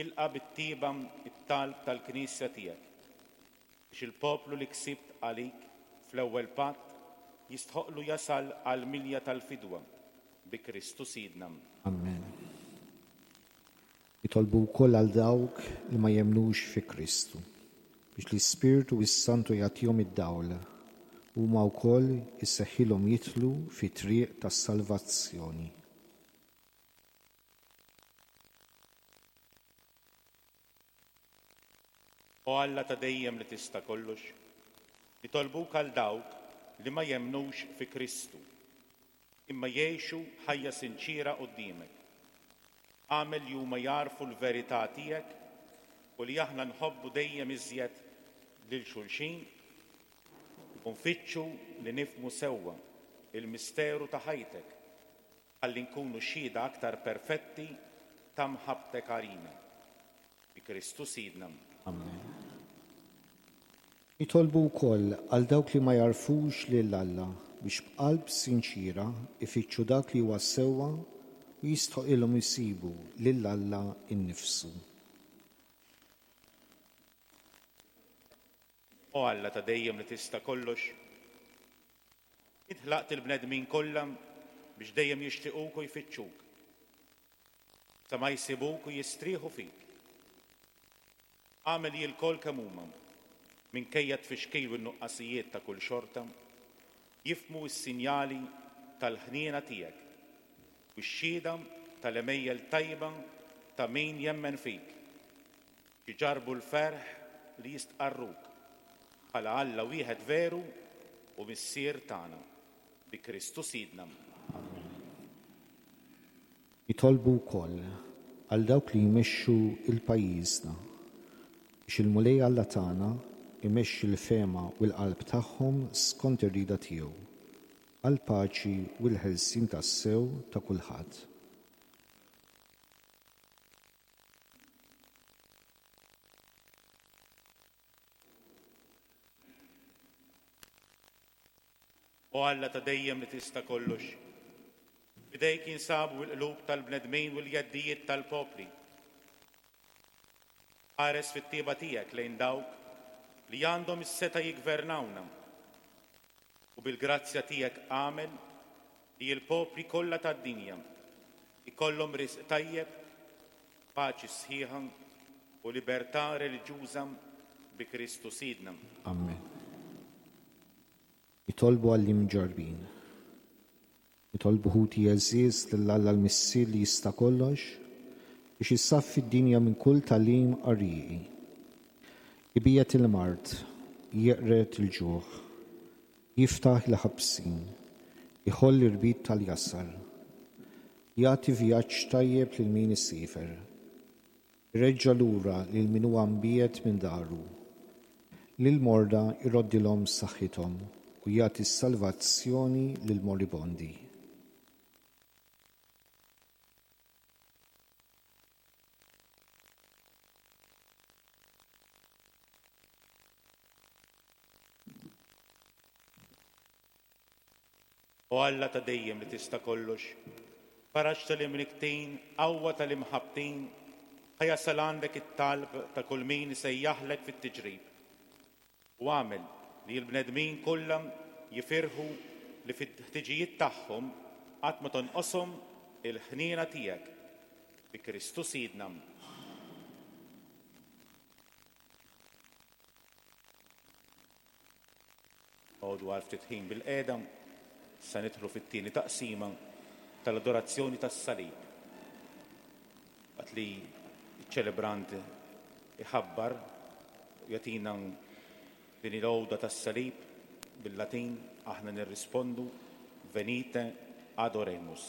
Speaker 2: ilqa' bit-tjieba t-talb tal-Knisja tiegħek, biex il-poplu li ksibt għalik fl-ewwel patt jistħoqqlu jasal għall-milja tal-fidwa, bi Kristu Sidna.
Speaker 5: Amen. Nitolbu wkoll għal dawk li ma jemmnux fi Kristu, biex l-Ispirtu s-Santu jagħtihom id-dawl, u huma wkoll iseħħilhom jidħlu fit-triq tas-salvazzjoni.
Speaker 2: O Alla ta' dejjem li tista' kollox, nitolbuk għal dawk li ma jemmnux fi Kristu, imma jgħixu ħajja sinċiera quddiemek. Agħmel li huma jagħrfu l-verità tiegħek u li aħna nħobbu dejjem iżjed lil xulxin u nfittxu li nifhmu sewwa l-misteru ta' ħajtek ħalli nkunu xhieda aktar perfetti ta' mħabbtek għalina. Bi Kristu Sidna.
Speaker 5: Amen. Nitolbu wkoll għal dawk li ma jagħrfux lil Alla biex b'qalb sinċiera jfittxu dak li huwa sewwa u jistħoqilhom isibu lil Alla nnifsu.
Speaker 2: O Alla ta' dejjem li tista' kollox, int ħlaqt il-bnedmin kollha biex dejjem jixtiquk u jfittxuk, sa ma jsibuk u jistrieħu fik. Agħmel li lkoll kemm huma, minkejja t-tfixkil u n-nuqqasijiet ta' kull xorta, jifhmu s-sinjali tal-ħniena tiegħek u x-xhieda tal-għemejjel tajba ta' min jemmen fik, biex iġarrbu l-ferħ li jistqarruk bħala Alla wieħed veru u Missier tagħna. Bi Kristu Sidna.
Speaker 5: Amen. Nitolbu wkoll għal dawk li jmexxu l-pajjiżna, biex il-Mulej Alla tagħna jmexxi l-fehma u l-qalb tagħhom skont ir-rieda tiegħu, għall-paċi u l-ħelsien tassew ta' kulħadd.
Speaker 2: O Alla ta' dejjem li tista' kollox, f'idejk jinsabu l-qlub tal-bnedmin u l-jeddijiet tal-popli. Ħares fit-tieba tiegħek lejn dawk li għandhom is-setgħa jiggvernawna, u bil-grazzja tiegħek agħmel li l-popli kollha tad-dinja jkollhom risq tajjeb, paċi sħiħa u libertà reliġjuża bi Kristu Sidna.
Speaker 5: Amen. Nitolbu għall-imġarrbin. Nitolbu ħuti għeżież lil Alla l-Missier li jista' kollox biex isaffi d-dinja minn kull tagħlim qarrieqi. Ibiegħed il-mard, jeqred il-ġuħ, jiftaħ il-ħabsin, iħoll l-irbit tal-jasar, jagħti vjaġġ tajjeb lil min isiefer. Ireġġa' lura lil min huwa mbiegħed minn daru. Lill-morda jroddilhom saħħithom u jagħti s-salvazzjoni lill-moribondi.
Speaker 2: O Alla ta' dejjem li tista' kollox, faraġ tal-imnikktin, qawwa tal-imħabbtin, ħa jasal għandek it-talb ta' kull min isejjaħlek fit-tiġrib. U agħmel li l-bnedmin kollha jifirħu li fil-ħtiġijiet tagħhom qatt ma tonqoshom il-ħniena tiegħek. Bi Kristu Sidna. Noqogħdu għal ftit ħin bilqiegħda, sa nidħlu fit-tieni taqsima tal-adorazzjoni tas-salib. Waqt li ċ-ċelebrant iħabbar u jagħtina din il-għoda tas-salib bil-Latin, aħna nirrispondu Venite adoremus.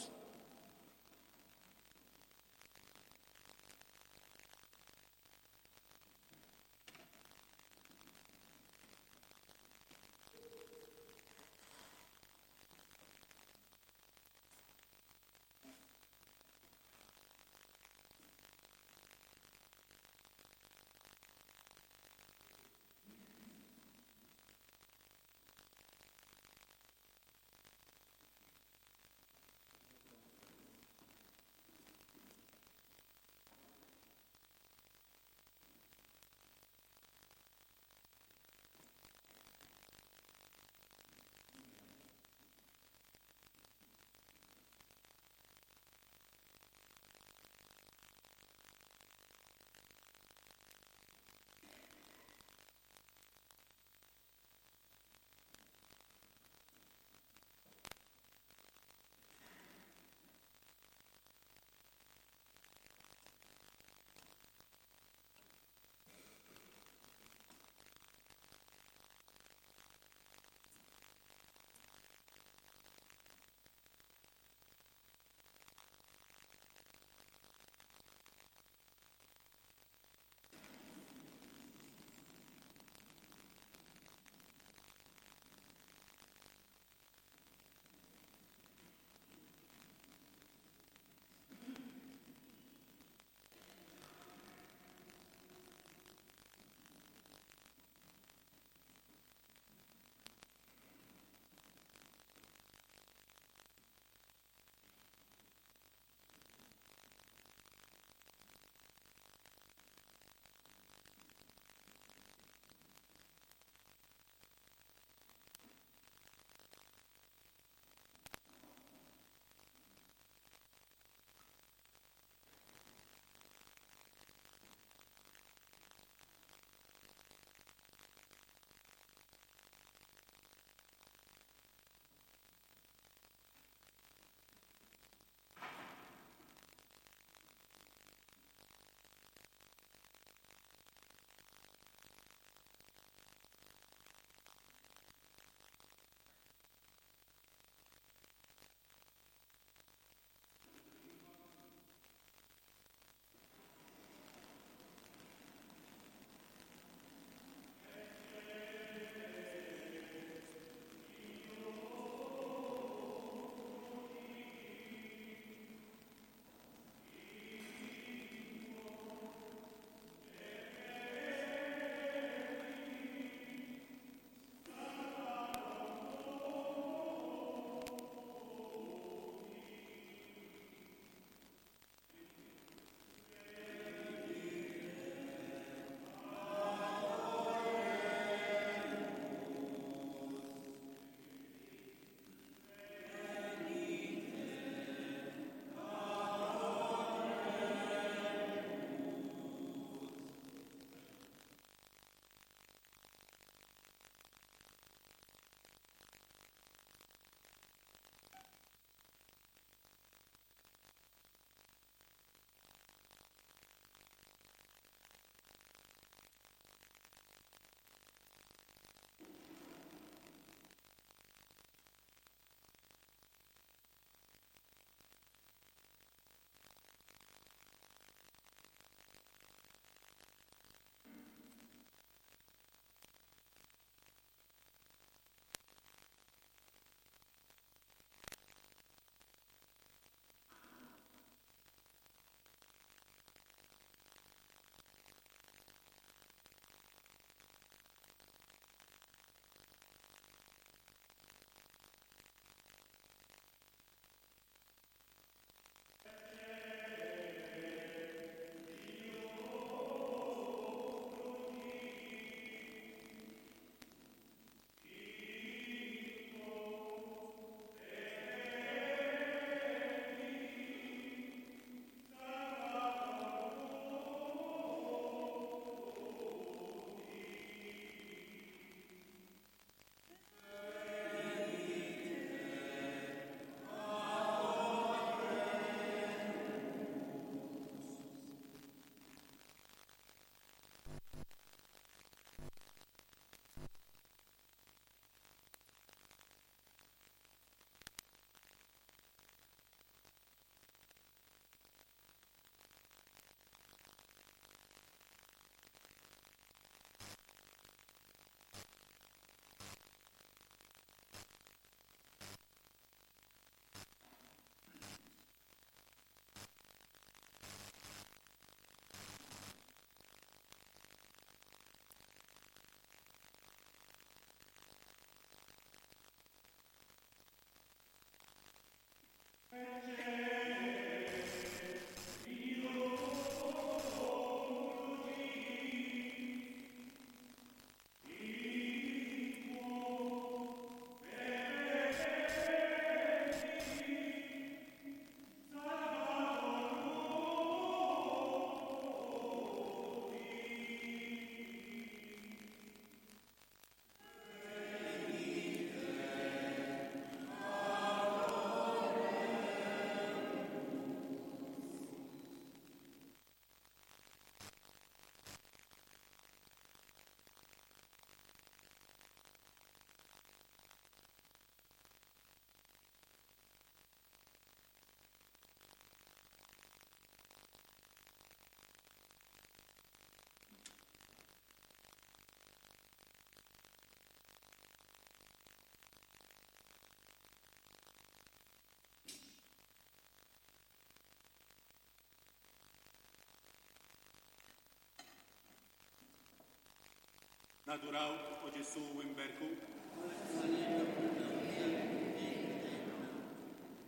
Speaker 2: Nadurawk, o Ġesù, u nberkuk.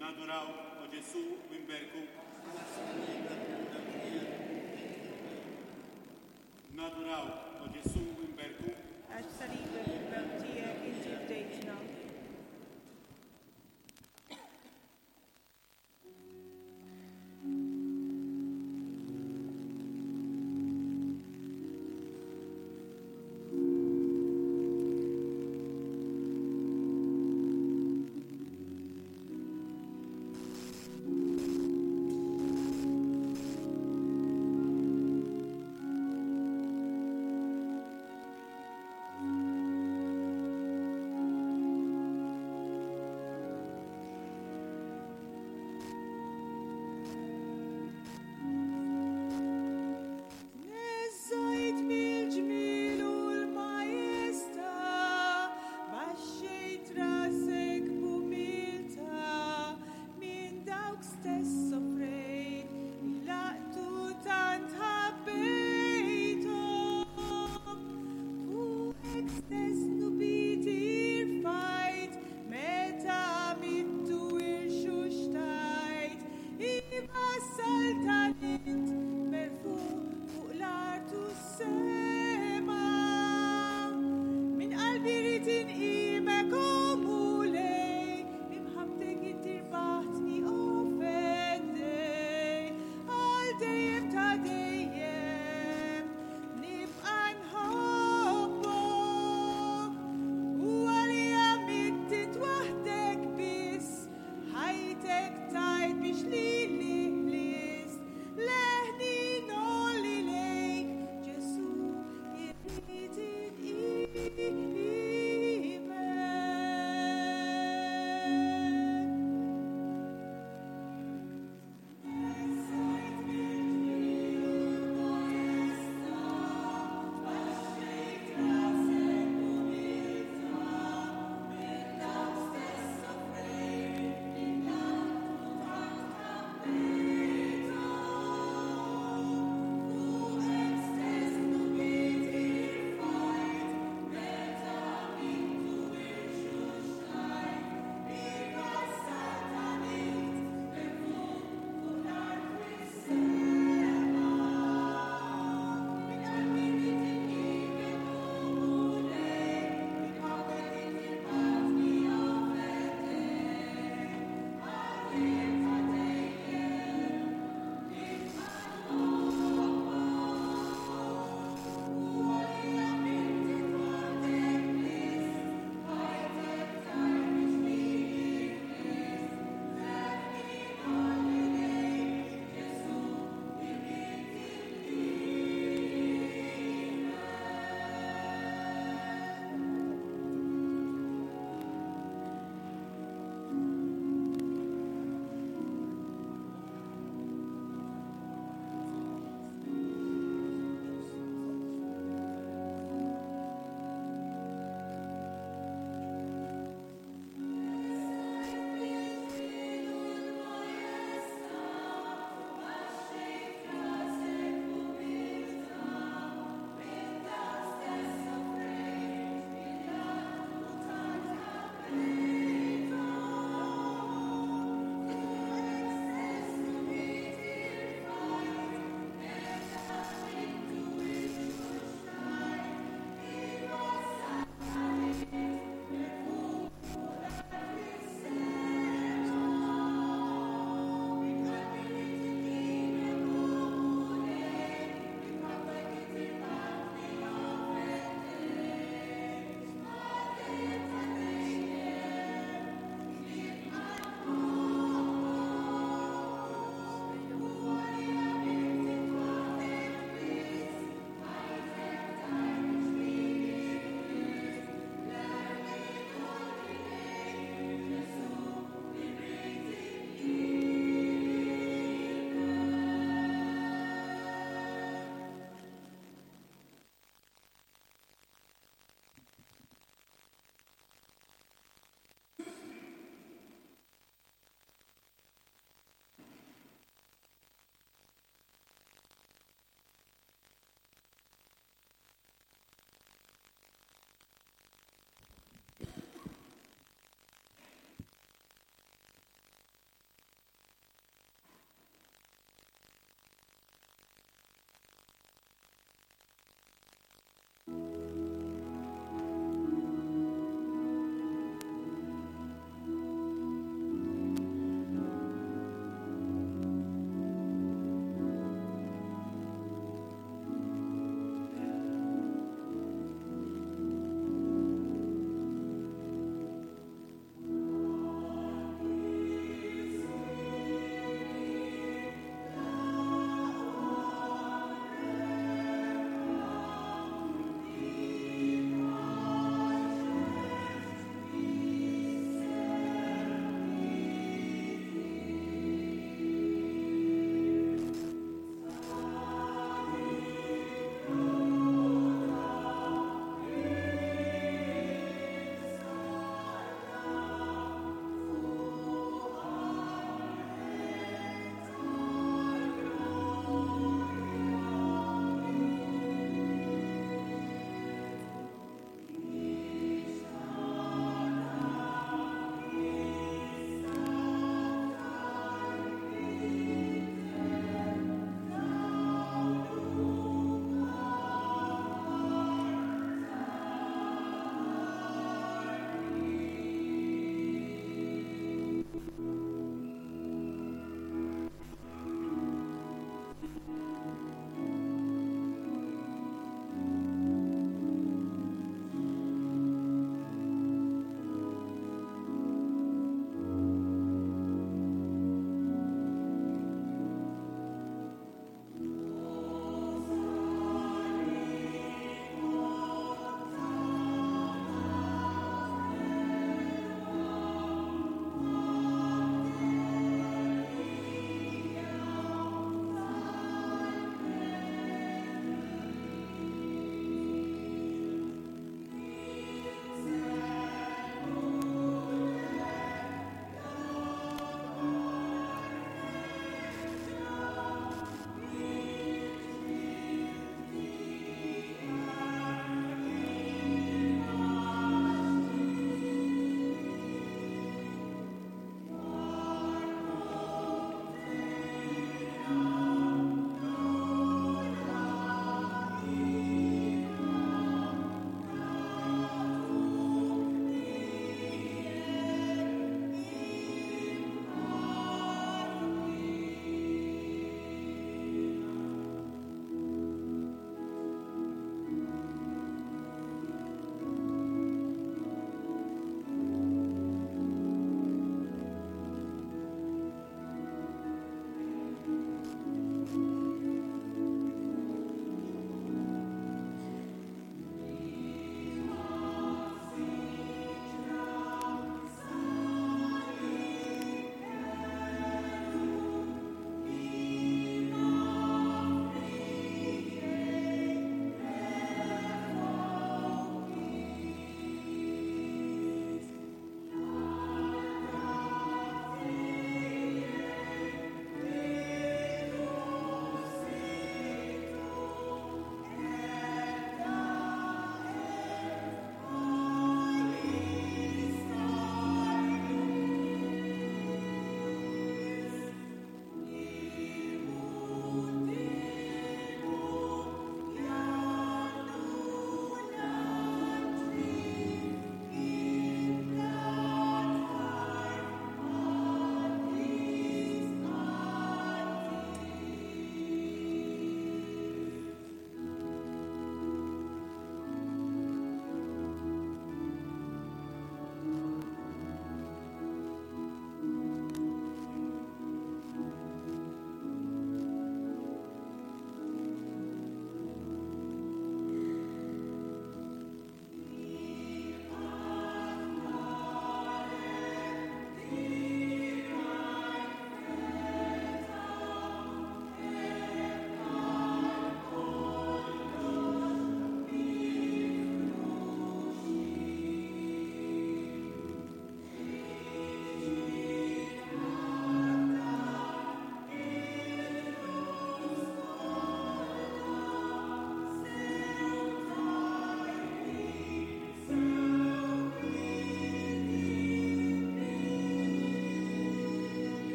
Speaker 2: Nadurawk, o Ġesù, u nberkuk. Nadurawk, o Ġesù, u nberkuk.
Speaker 7: Għax b'salibek u b'mewt tiegħek inti fdejtna.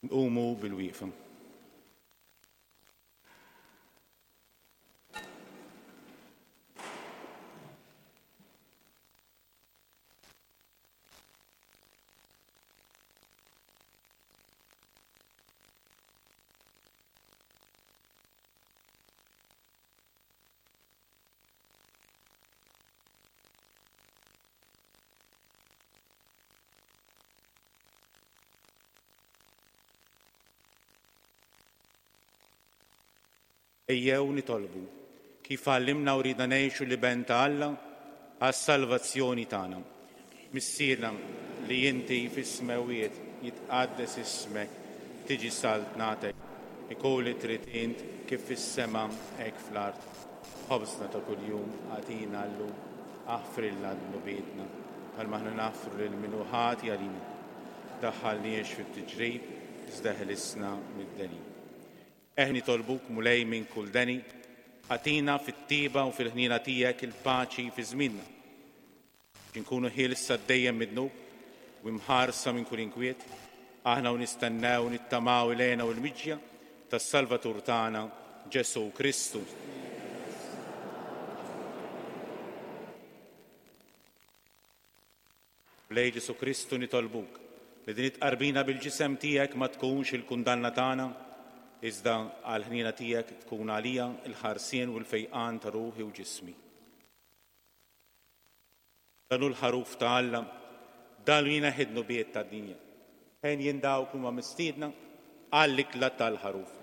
Speaker 2: Nqumu bil-wieqfa. Ejjew nitolbu, kif għallimna u ridna ngħixu l-Iben ta' Alla għas-salvazzjoni tagħna. Missierna li inti fis-smewwiet, jitqaddes ismek, tiġi saltnatek, ikun li trid int kif fis-sema hekk fl-art. Ħobżna ta' kuljum agħtina llum, aħfrilna dnubietna, bħalma aħna naħfru lil min hu ħati għalina. Tdaħħalniex fit-tiġrib, iżda eħlisna mid-deni. Eħ nitolbuk, Mulej, minn kull deni, agħtina fit-tjieba u fil-ħniena tiegħek il-paċi fi żmienna, biex inkunu ħielsa dejjem mid-dnub u imħarsa minn kull inkwiet, aħna u nistennew u nittamaw il-hena u l-miġja tas-Salvatur tagħna, Ġesù Kristu. Mulej Ġesù Kristu nitolbuk li din it-tqarbina bil-ġisem tiegħek ma tkunx il-kundanna tagħna, iżda għall-ħniena tiegħek tkun għalija l-ħarsien u l-fejqan ta' ruħi u ġismi. Dan hu l-ħaruf ta' Alla, dan li jneħħi d-dnubiet tad-dinja. Henjin dawk li huma mistiedna għall-ikla tal-ħaruf.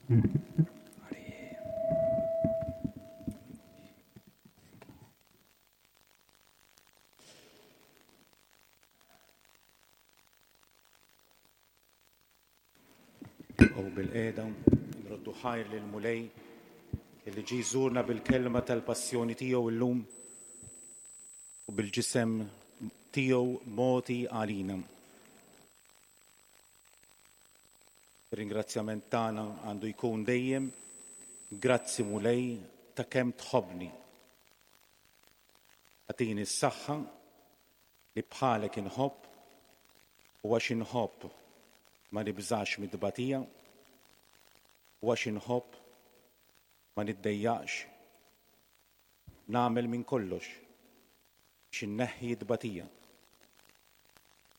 Speaker 2: U bil-qeda nroddu ħajr lil Mulej illi ġie jżurna bil-kelma tal-passjoni tiegħu llum u bil-ġisem tiegħu mogħti għalina. Ir-ringrazzjament tagħna għandu jkun dejjem grazzi Mulej ta' kemm tħobbni. Agħtini s-saħħa li bħalek inħobb u għax inħobb ma nibżax mit-tbatija u għax inħobb ma niddejjaqx nagħmel minn kollox biex inneħħi t-tbatija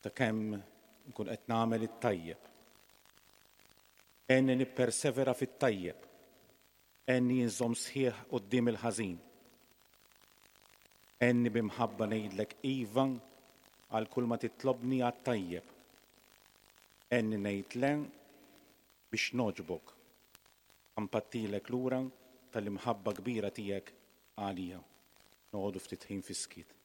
Speaker 2: sakemm nkun qed nagħmel it-tajjeb. Għenni nippersevera fit-tajjeb. Għenni inżomm sħiħ quddiem il-ħażin. Għenni bi mħabba ngħidlek iva għal kull ma titlobni għat-tajjeb. Għenni ngħid le biex nogħġbok. Ħa npattilek lura tal-imħabba kbira tiegħek għalija. Noqogħdu ftit ħin fis-skiet.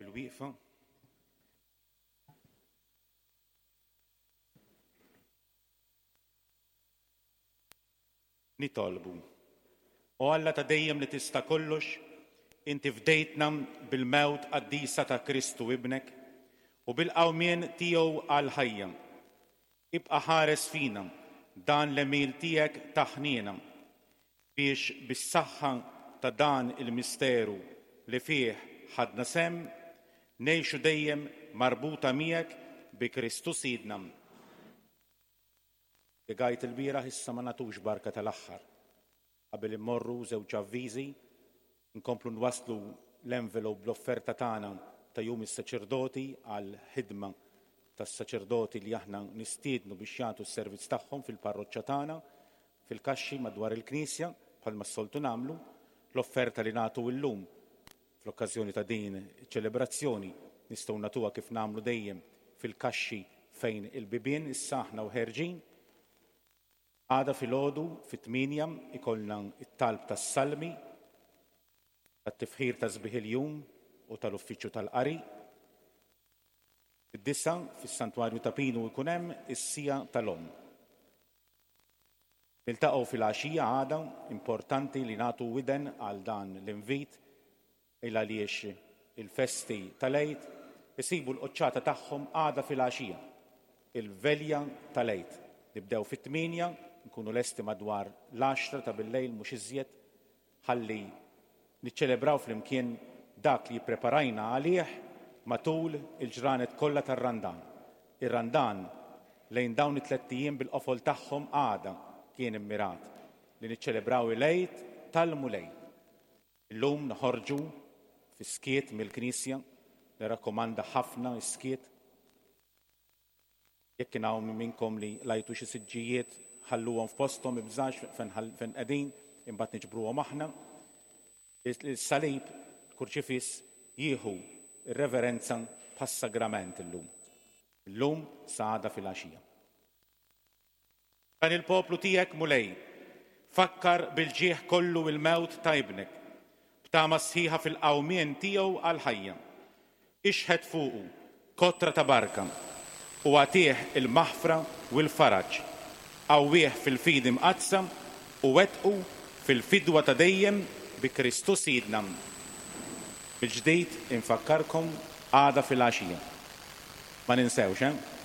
Speaker 2: Bil-wieqfa. Nitolbu. O Alla ta' dejjem li tista' kollox, inti fdejtna bil-mewt qaddisa ta' Kristu Ibnek u bil-qawmien tiegħu għall-ħajja. Ibqa' ħares fina dan l-għemil tiegħek ta' ħniena, biex bis-saħħa ta' dan il-misteru li fih ħadna sehem, ngħixu dejjem marbuta miegħek bi Kristu Sidna. Spjegajt ilbieraħ issa ma nagħtux barka tal-aħħar. Qabel immorru żewġ avviżi, inkomplu nwasslu l-envelope bl-offerta tagħna ta' Jum is-Saċerdoti għall-ħidma tas-saċerdoti li aħna nistiednu biex jagħtu s-servizz tagħhom fil-parroċċa tagħna, fil-kaxxi madwar il-knisja, bħalma s-soltu nagħmlu. L-offerta li nagħtu illum Fl-okkażjoni ta' din iċ-ċelebrazzjoni nistgħu nagħtuha kif nagħmlu dejjem fil-kaxxi fejn il-bibien issa aħna u ħerġin. Għada filgħodu fit-tmienja ikollna t-talb tas-salmi, tat-tifħir ta' sbieħ il-jum u tal-uffiċċju tal-qari. Fid-disgħa fis-Santwarju ta' Pinu jkun hemm is-siegħa tal-Omm. Niltaqgħu filgħaxija għada, importanti li nagħtu widen għal dan l-invit il għaliex il-festi tal-Għid isibu l-quċċata tagħhom għada filgħaxija, il-velja tal-Għid. Nibdew fit-tmienja, nkunu lesti madwar l-għaxra ta' billejl mhux iżjed, ħalli niċċelebraw flimkien dak li ppreparajna għalih matul il-ġranet kollha tar-Randan. Ir-Randan lejn dawn it-tlett ijiem bil-qofol tagħhom għada kien immirat li niċċelebraw il-Għid tal-Mulej. Illum noħorġu fis-skiet mill-knisja, nirrakkomanda ħafna s-skiet. Jekk kien hawn minnkom li lajtu xi siġġijiet, ħalluhom f'posthom, ibżax fejn qegħdin, imbagħad niġbruhom aħna. Is-salib, il-kurċifiss, jieħu r-reverenza bħas-sagrament illum. Illum sa għada filgħaxija. Dan il-poplu tiegħek, Mulej, fakkar bil-ġieħ kollu l-mewt ta' Ibnek, b'tama sħiħa fil-qawmien tiegħu għall-ħajja. Ixħet fuqu kotra ta' barka u agħtih il-maħfra u l-faraġ. Qawwih fil-fidi mqaddsa u wettqu fil-fidwa ta' dejjem bi Kristu Sidna. Mill-ġdid infakkarkom għada filgħaxija. Ma ninsewx, eh?